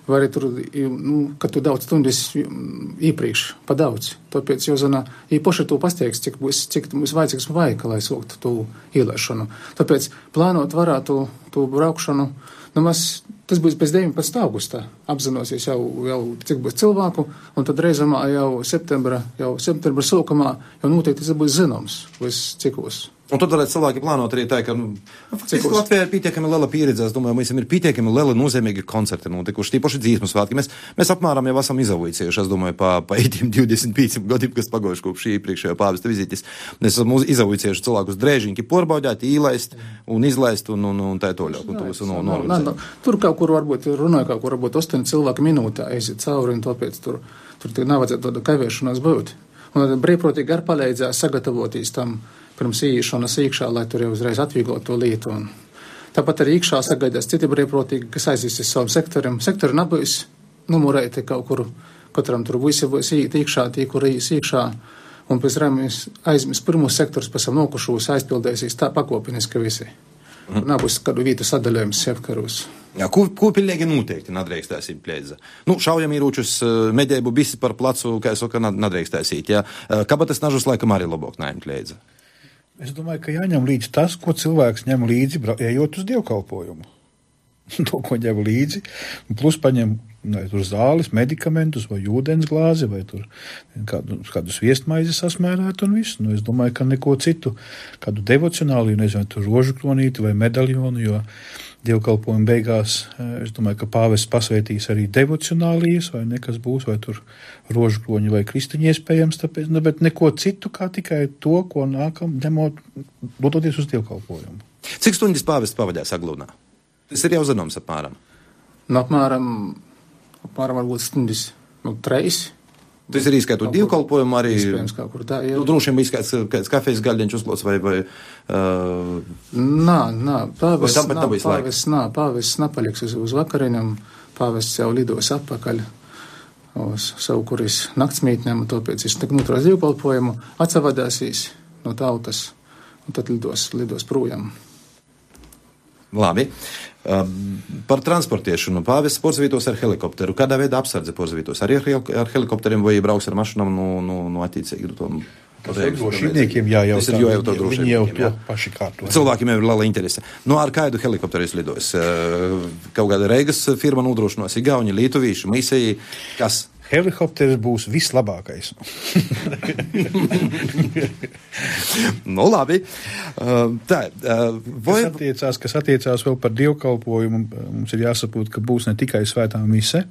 Vai arī tur, nu, ka tu daudz stundas iepriekš pa daudz. Tāpēc jau zina, īpaši tu pasteiks, cik būs, cik būs vajadzīgs vaika, lai soktu tu ielēšanu. Tāpēc plānot varētu tu braukšanu. Nu, mēs, tas būs pēc deviņpadsmitā augusta, apzinosies jau, jau cik būs cilvēku, un tad reizamā jau septembra, jau septembra sākumā jau noteikti tas būs zināms, viss cikos. Un tad varētu cilvēki plānot arī tā, ka, nu, faktiski Latvijā ir pietiekami liela pieredze, es domāju, mums ir pietiekami liela nozīmīgi koncerti notikuši, tīpaši dzīsmu svētki. Mēs, mēs apmēram jau esam izavojicējuši, es domāju, pa, pa ītiem divdesmit pieciem gadiem, kas pagojuši kopš šī iepriekšējā pāvesta vizītes. Mēs esam izavojicējuši cilvēkus drēžiņki porbaudēt, īlaist un izlaist un, un, un tā toļāk. Un to no, no, no, no. Tur kaut kur varbūt runāja, kaut kur varbūt astoņi cilvēki minūtē aiziet cauri, un tāpēc tur, tur nav vajadzētu tāda kavēšanās būt. Un brīvprātīgi ar palīdzēs sagatavoties tam pirms īšanas iekšā, lai tur jau uzreiz atvieglot to lietu. Un tāpat arī iekšā sagaidās citi brīvprātīgi, kas aizies uz savam sektoram. Sektori nebūs numurēti kaut kur, katram tur visi būs iet iekšā, tie, kur ies iekšā, un pēc tam aizmies pirmos sektors, pēc tam nokušos aizpildēsies tā pakopiniski visi. Mm. Nebūs kādu vietu sadalījums sektoros. Jā, ko, ko pilnīgi noteikti nadrīkstēsim plēdza? Nu, šaujamīrūčus medēbu visi par placu, kā es saka, nadrīkstēsīt, jā. Kabatas nažus laikam arī labāk nēm plēdza. Es domāju, ka jāņem līdzi tas, ko cilvēks ņem līdzi, ejot uz dievkalpojumu. To, ko ņem līdzi, plus paņem vai tur zāles, medikamentus, vai ūdens glāzi, vai tur kādu, kādu sviestmaizi sasmērēt un visu. Nu, es domāju, ka neko citu, kādu devocionālu, nezinu, tur rožu kronīti vai medaļonu, jo dievkalpojumu beigās, es domāju, ka pāvests pasvētīs arī devocionālijas, vai nekas būs, vai tur rožu kroņi vai kristiņi iespējams, tāpēc, ne, bet neko citu, kā tikai to, ko nākam, ņemot, dodoties uz dievkalpojumu. Cik stundas pāvests pavadījās Aglūnā? Tas ir jau zināms apmēram. Nu, apmēram, apmēram varbūt stundas, nu, treis. Tas ir izskaitot dievkalpojumu arī. Iespējams, kā kur tā, jā. Nu, droši vien bija kāds, kāds kafijas gaļdiņš uzklots vai, vai, uh... Nā, nā, pāvests, nā, pāvests, nā, pāvests napaliks uz, uz vakariņam, pāvests jau lidos atpakaļ uz savu, kuris naktsmītnēm, un tāpēc viņš tik noturās dievkalpojumu, atsavadāsīs no tautas, un tad lidos, lidos projām. Labi. Um, par transportiešanu. Pāvests porzavītos ar helikopteru. Kādā veidā apsardze porzavītos? Arī ar, ar helikopteriem vai brauks ar mašinām no, no, no attīcīgi? Tom, drošībniekiem jājautā. Tas ir jājautā drošībniekiem. Viņi jau to jā. paši kārto. Cilvēkiem jau ir liela interese. No ar kādu helikopteru es lidos? Kaut kāda Reigas firma nodrošinos Igauņi, Lietuvīši, Mīsēji. Kas? Helikopters būs vislabākais. Nu, labi. Uh, tā, uh, vai... kas, attiecās, kas attiecās vēl par dievkalpojumu, mums ir jāsaprot, ka būs ne tikai svētā mise,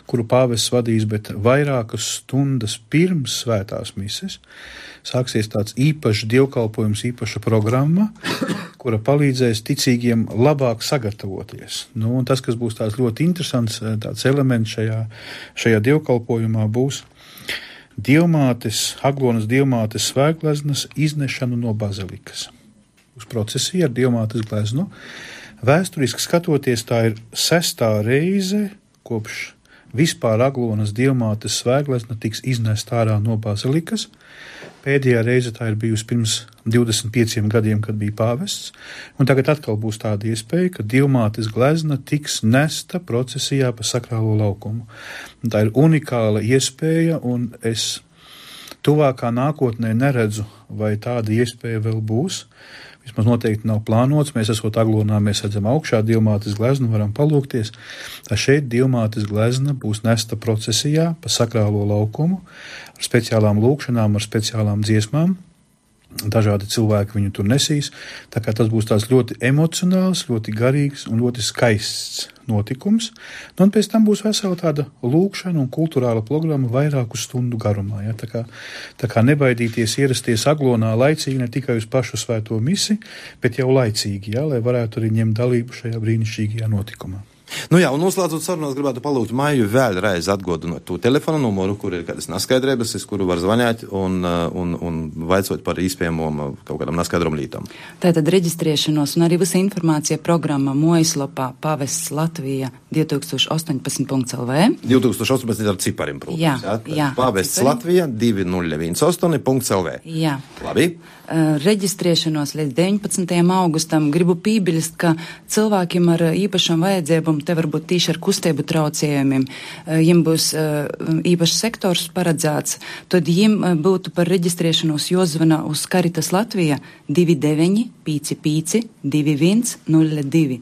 kuru pāvests vadīs, bet vairākas stundas pirms svētās mises sāksies tāds īpašs dievkalpojums, īpaša programma, kura palīdzēs ticīgiem labāk sagatavoties. Nu, un tas, kas būs tāds ļoti interesants tāds elements šajā, šajā dievkalpojumā, būs dievmātes, Aglonas dievmātes svētgleznas iznešanu no bazilikas. Uz procesiju ar dievmātes gleznu. Vēsturiski skatoties, tā ir sestā reize, kopš vispār Aglonas dievmātes svētglezna tiks iznest ārā no bazilikas. Pēdējā reize tā ir bijusi pirms divdesmit pieciem gadiem, kad bija pāvests, un tagad atkal būs tāda iespēja, ka dievmātes glezna tiks nesta procesijā pa sakrālo laukumu. Un tā ir unikāla iespēja, un es tuvākā nākotnē neredzu, vai tāda iespēja vēl būs. Vismaz noteikti nav plānots, mēs esot Aglonā, mēs redzam augšā dievmātes gleznu, varam palūkties. Tā šeit dievmātes glezna būs nesta procesijā pa sakrālo laukumu, ar speciālām lūkšanām, ar speciālām dziesmām. Dažādi cilvēki viņu tur nesīs, tā kā tas būs tāds ļoti emocionāls, ļoti garīgs un ļoti skaists notikums. Nu, un pēc tam būs vesela tāda lūkšana un kulturāla programma vairāku stundu garumā. Ja? Tā kā, tā kā nebaidīties ierasties Aglonā laicīgi ne tikai uz pašu svēto misi, bet jau laicīgi, ja? Lai varētu arī ņemt dalību šajā brīnišķīgajā notikumā. Nu jā, un noslēdzot sarunu, es gribētu palūgt Maiju vēlreiz atgādināt to telefonu numuru, kur ir kādas neskaidrības, uz kuru var zvanīt un, un, un vaicot par iespējamām kaut kādām neskaidrām lietām. Tātad reģistrēšanos un arī visa informācija programma mājaslapā Pavests Latvija divi tūkstoši astoņpadsmit punkts el vē. divi tūkstoši astoņpadsmit ar cipariem, protams. Jā, jā, jā. Pavests Latvija divi nulle viens astoņi punkts el vē. Jā. Labi. Uh, reģistrēšanos līdz deviņpadsmitajam augustam gribu piebilst, ka cilvēkiem ar īpašām vajadzībām, te varbūt tīši ar kustību traucējumiem, uh, jiem būs uh, īpašs sektors paredzēts, tad jiem uh, būtu par reģistrēšanos jāzvana uz Caritas Latvija divi deviņi pieci pieci divi viens nulle divi.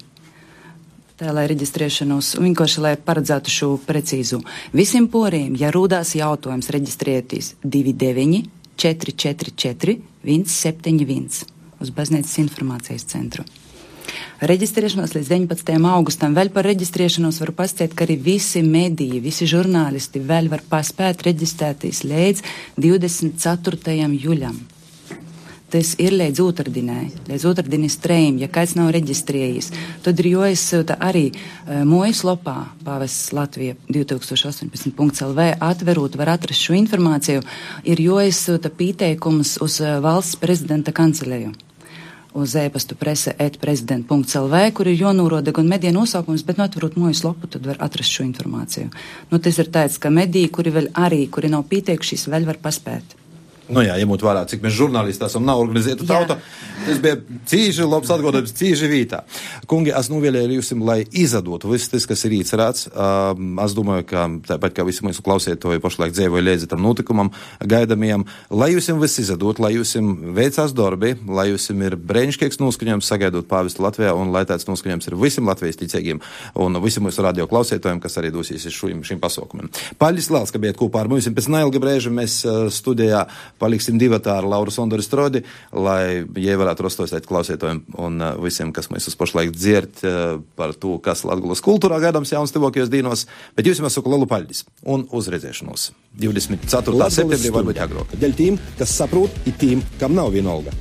Tā, lai reģistrēšanos, vienkārši, lai paredzētu šo precīzu. Visiem poriem, ja rūdās jautājums reģistrēties divi deviņi četri četri četri viens septiņi viens uz Baznīcas informācijas centru. Reģistrēšanos līdz deviņpadsmitajam augustam. Vēl par reģistrēšanos varu pastāstīt, ka arī visi mediji, visi žurnālisti vēl var paspēt reģistrēties līdz divdesmit ceturtajam jūļam. Tas ir līdz otrdinai, līdz otrdinis trejiem, ja kāds nav reģistrējies. Tad ir jāizsūta arī uh, mājaslapā Pavests Latvija divi tūkstoši astoņpadsmit punkts el vē, atverot, var atrast šo informāciju, ir jāizsūta pieteikums uz uh, valsts prezidenta kanceleju, uz e-pastu prese et prezident punkts el vē, kur ir jānoroda gan mediju nosaukums, bet no atverot mājaslapu, tad var atrast šo informāciju. Nu, tas ir tāds, ka mediji, kuri vēl arī, kuri nav pieteikušies, vēl var paspēt. Nu jā, ņemot vērā, cik mēs žurnālisti esam, nav organizēta tauta, tas bija cīži labs atgādājums, cīži vītā. Kungi, es novēlēju jums, lai izdotu viss tas, kas ir īcerēts. Um, es domāju, ka tāpat kā visi mūsu klausētoji pašlaik dzēvoja līdzi tam notikumam, gaidamajam, lai jums viss izdot, lai jums veicās darbi, lai jums ir brēnišķīgs noskaņojums sagaidot Pavestu Latvijā, un lai tāds noskaņojums ir visiem Latvijas ticīgiem un visiem mūsu radio klausētojiem, kas arī dosies šim, šim pasaukumam. Paldies liels, ka bijāt kopā ar mums. Pēc neilga brēža mēs studijā paliksim divatā ar Lauru Sondoru Strodi, lai jie varētu rostosēt klausētojiem un uh, visiem, kas mēs uz pašlaik dzird uh, par to, kas Latgulas kultūrā gaidāms jauns tuvākajos dīnos. Bet jūs jums saku lielu paldies un uz redzēšanos. divdesmit ceturtā septembrī varbūt agrāk. Dēļ tiem, kas saprot, ir tiem, kam nav vienalga.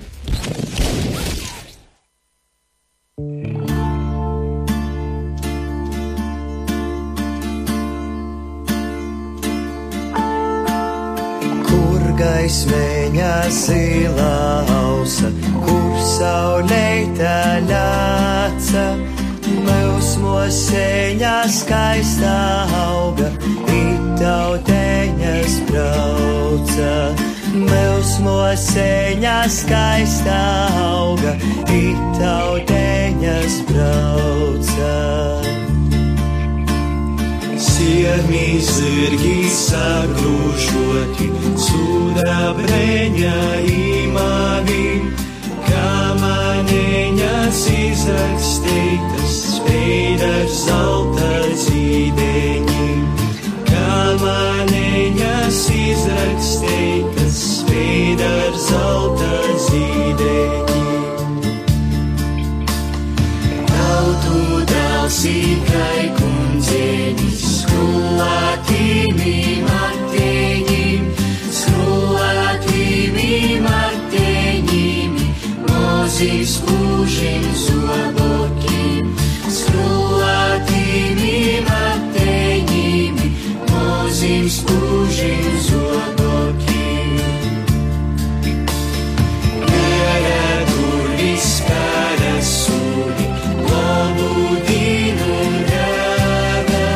Gaismeņa zilā ausa, kur sauleita ļāca, Mūsmoseņa skaistā auga, itauteņas brauca. Mūsmoseņa skaistā auga, itauteņas brauca. Siermī zirgi sagrūžoti, sudrabreņa imāvi, kamaneņas izrakstītas, spēj ar zelta zīdeņi. Kamaneņas izrakstītas, spēj ar zelta zīdeņi. Tautu dāls ikai kundzenis, skolā Mozim skūžim zobokim, skrūlatīmi mateņimi, mozim skūžim zobokim. Gara durvis spēra sūdi, lobudinu rāga,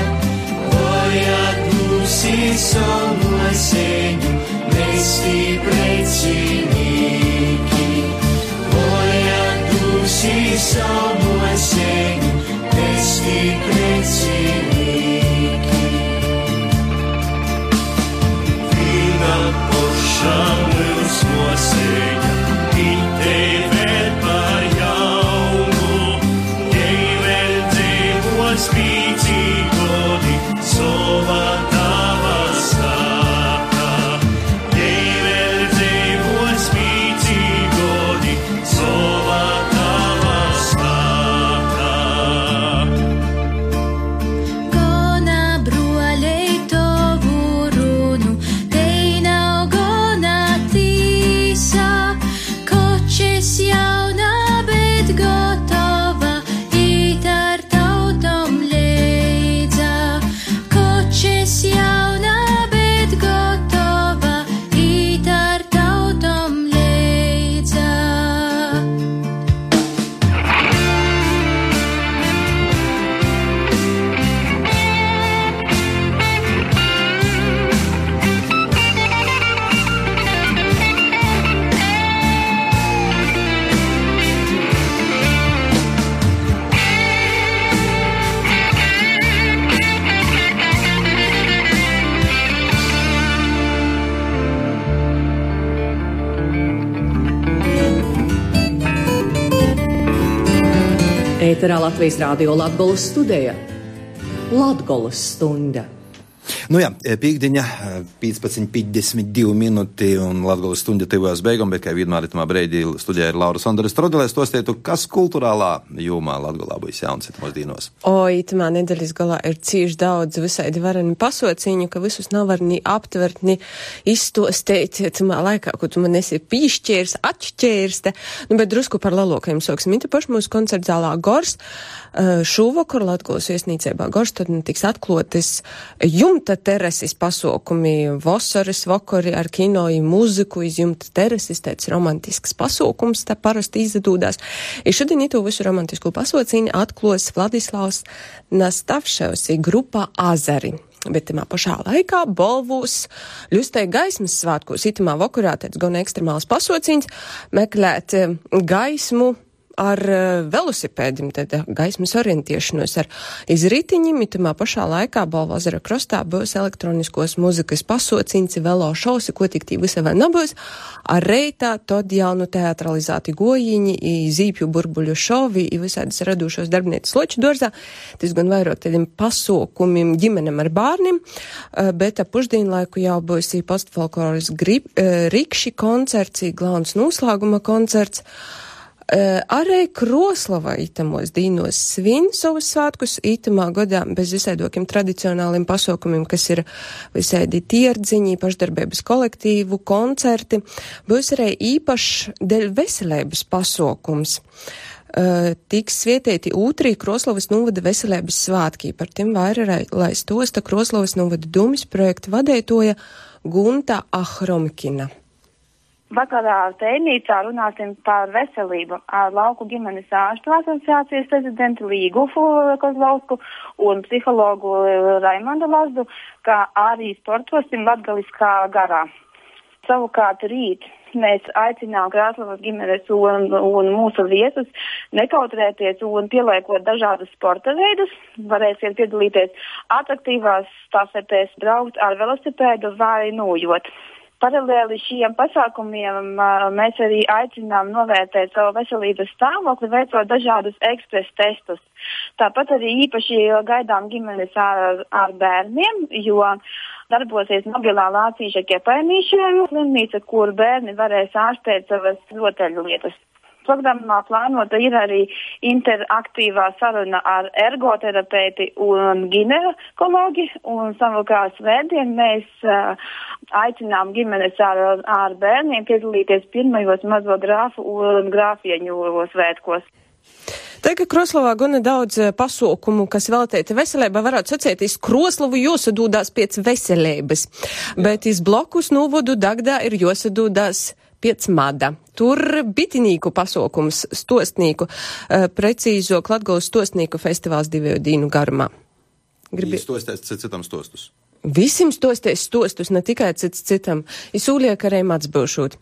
vojat mūsi somu seņu, mesti precinīgi. Vojat mūsi somu seņu, mesti precinīgi. Vīna pošam mūs noseņa, itē vēl par jaunu, jei vēl dzīvos pīcīgodi, sova tava stāka. Jei vēl dzīvos pīcīgodi, sova tava stāka. Gona broļei tovu runu, tei nav gona tīsa, kočes jauna, bet gotova, īt ar tautom leidza. Kočes jauna, bet gotova, īt ar tautom leidza. Ēterā Latvijas Rādio Latgoles studija Latgoles stunda. Nu jā, pīkdiņa, piecpadsmit piecdesmit divi minūti un Latgoles stunda tuvās beigām, bet kā vienmēr itamā breidī studijā ir Laura Sondere Strodelē. Stostietu, kas kulturālā jomā Latgolā būs jauns itamās dīnos? O, itamā nedēļas galā ir cīši daudz visaidi vareni pasociņu, ka visus nav var ni aptvert, ni izstostēt itamā laikā, ko tu man esi pīšķērs, atšķērste. Nu, bet drusku par lalokajiem soksim. Ita paši mūsu koncertzālā Gors. Šūvakar Latgoles viesnīcībā Gors tad tiks atklotis jumta terasis pasaukumi, vasaras vakari ar kino i mūziku iz jumta terasis, tāds romantisks pasaukums, tā parasti izdodās. I šodien itu visu romantisku pasauciņu atklos Vladislavs Nastavševs i grupa Azari. Bet tamā pašā laikā Bolvūs ļustēja gaismas svātkos. Itamā vakarā tāds gan ekstremāls pasauciņš meklēt gaismu ar uh, velosipēdim, tad gaismas orientiešanos ar izritiņiem. Itamā pašā laikā Balvazara krostā būs elektroniskos muzikas pasauciņš, velo šausi, ko tik tī visa vēl nebūs. Ar reitā tad jaunu teatralizāti gojiņi, i zīpju burbuļu šovi, i visādas radušos darbnieces loču dorzā. Tas gan vairot tādiem pasaukumiem ģimenem ar bārnim, uh, bet ap pušdienlaiku jau būs i postfolkloras grib, uh, rikši koncerts, i glauns noslēguma koncerts. Uh, arī Kroslava itamos dīnos svin savus svētkus itamā godā bez visaidokiem tradicionāliem pasaukumiem, kas ir visaidi tierdziņi, pašdarbības kolektīvu, koncerti. Būs arī īpašs deļ veselības pasaukums. Uh, tiks svietēti ūtrī Kroslavas novada veselības svātki. Par tiem vairāk, lai stosta Kroslavas novada dūmis projekta vadētoja Gunta Ahromkina. Vakarā tēnīcā runāsim par veselību ar Lauku ģimenes ārstu asociācijas prezidentu Līgu Kozlausku un psihologu Raimondu Lazdu, kā arī sportosim latgaliskā garā. Savukārt rīt mēs aicinām Krāslavas ģimenes un, un mūsu viesus nekautrēties un pieliekot dažādus sporta veidus. Varēsiet piedalīties atraktīvās stafetēs, braukt ar velosipēdu vai nūjot. Paralēli šiem pasākumiem mēs arī aicinām novērtēt savu veselības stāvokli, veicot dažādus ekspres testus. Tāpat arī īpaši gaidām ģimenes ar, ar bērniem, jo darbosies mobilā lācīša ķepainīšana slimnīca, kur bērni varēs ārstēt savas rotaļlietas. Programmā plānota ir arī interaktīvā saruna ar ergoterapeiti un ginekologi, un savukārt svētdien mēs uh, aicinām ģimenes ar, ar bērniem piedalīties pirmajos mazo grāfu un grāfieņu svētkos. Tagad Kroslavā gana daudz pasaukumu, kas veltīti veselībai, varētu sacētīs, Kroslavu josadūdās pēc veselības, bet iz blokus Nūvodu Dagdā ir josadūdās pēc mada. Tur bitinīku pasaukums stostnīku, precīzok Latgolas stostnīku festivāls divu dīnu garumā. Gribi... Stostēs citam stostus. Visim stostēs stostus, ne tikai cits citam. Izsūliek arī mats būšūt.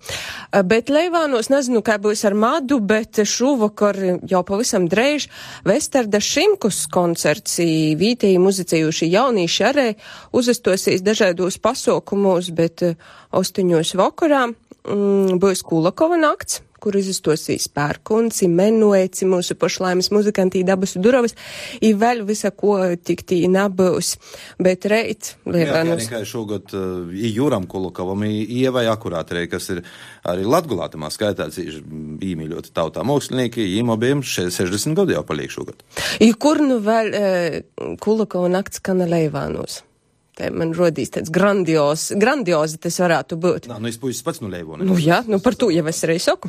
Bet Leivānos nezinu, kā būs ar madu, bet šovakar jau pavisam dreiž Vestarda Šimkus koncerts vītēji muzicējuši jaunīši arī uzastosies dažādos pasaukumos, bet ostuņos vakarā mm, būs Kulakova nakts, kur izastosīs Pērkunci, Menueci, mūsu pašlaimes muzikantī Dabas Durovas, i vēl visa, ko tik tī nabūs. Bet reit, Lievānos... Jā, tikai šogad uh, i Jūram Kulakovam, i Ievai Akurāterei, kas ir arī Latgulātamā skaitā īmīļoti tautā mākslinieki, im abiem sešdesmit gadu jau paliek šogad. I kur nu vēl uh, Kulakova nakts kana Leivānos? Te man rodīs tāds grandios, grandiozi tas varētu būt. Nā, nu es puisis pats nu Leivoni. Nu jā, nu par to jau es arī saku.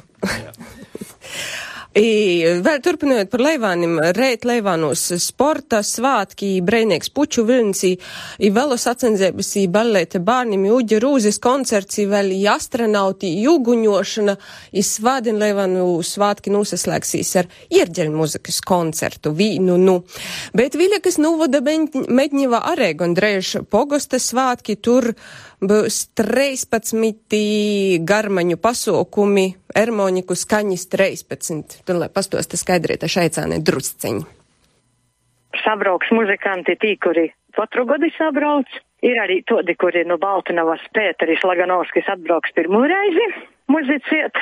I, vēl turpinot par Leivānim, reit Leivānos sporta svātki, breinīgs puču vilns, i, i velo sacensības, i ballete bārnim, i uģi rūzes koncerts, i vēl i astronauti, i uguņošana, i svādien Leivānu svātki nosaslēgsīs ar ierģeļu muzikas koncertu, vīnu, nu. Bet Viļakas Nūvoda Medņivā arī gondreiž pogosta svātki, tur būs trīspadsmit garmaņu pasaukumi, ermoniku skaņas trīspadsmit. Tur, lai pastosta skaidrīta šaicāne drusciņi. Sabrauks muzikanti tī, kuri katru gadu sabrauc. Ir arī todi, kuri no Baltinavas Pēteris Laganovskis atbrauks pirmo reizi muziciet.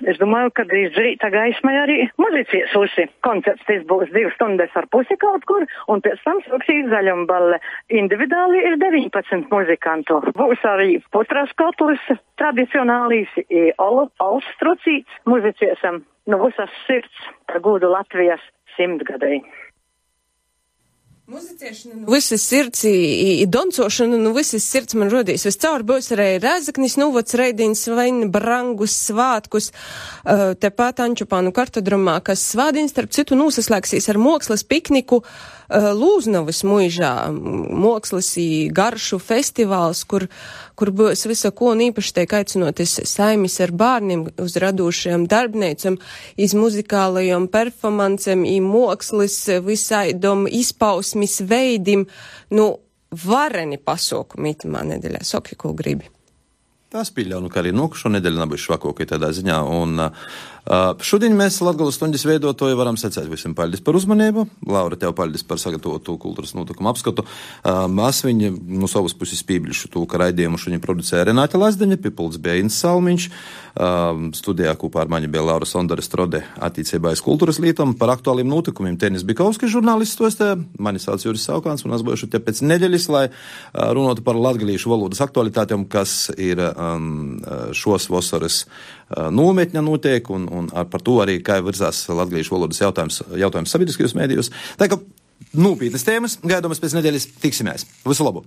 Es domāju, ka drīz rīta gaismai arī muzicies usi. Koncerts tas būs divas stundas ar pusi kaut kur, un pēc tam sāksīs zaļumballe. Individuāli ir deviņpadsmit muzikantu. Būs arī putras kotlis, tradicionālīs, olu, austrucīts. Muziciesam no visas sirds par gūdu Latvijas simtgadēji. Muziciešana no visas sirds, i, i doncošana no visas sirds man rodīs. Viscaur būs arī Rēzaknis Nūvods Reidīns vaini brangus svātkus, uh, tepat Ančupānu kartodromā, kas svādīns, starp citu, nūsaslēgsīs ar mokslas pikniku uh, Lūznavas muižā, mokslas i garšu festivāls, kur, kur būs visa ko un īpaši tiek aicinoties saimis ar bārniem uz radošajam darbneicam, iz muzikālajam performancem, i mokslas visaidom izpausmi veidim, nu, vareni pasaukumi itamā nedēļā. Saki, ko gribi. Tas pieļauju, ka arī nokušo nedēļu nabuši švakokai tādā ziņā. Un uh, šodien mēs Latgolas stundas veidotoju varam secēt visiem paldies par uzmanību. Laura, tev paldies par sagatavotu kultūras notikumu apskatu. Uh, Asviņi no savas puses pīblišu tū, ka raidījumu šodien producēja Renāte Lazdeņa, pipulds bija Inns Salmiņš, uh, studijā kopā ar mani bija Laura Sondare Strode attīcībā aiz kultūras lītam. Par aktuāliem notikumiem Tenis Bikovskis žurnālists stostē, mani sauc Juris Saukāns, un es būšu te pēc nedēļas, lai uh, runātu par latgalīšu valodas aktualitātēm, kas ir Um, šos vasaras uh, nometņa notiek, un, un ar par to arī, kā virzās latgalīšu valodas jautājums, jautājums sabiedriskajos mēdījos. Tā kā nopietnas tēmas, gaidamas pēc nedēļas tiksimies. Visu labu!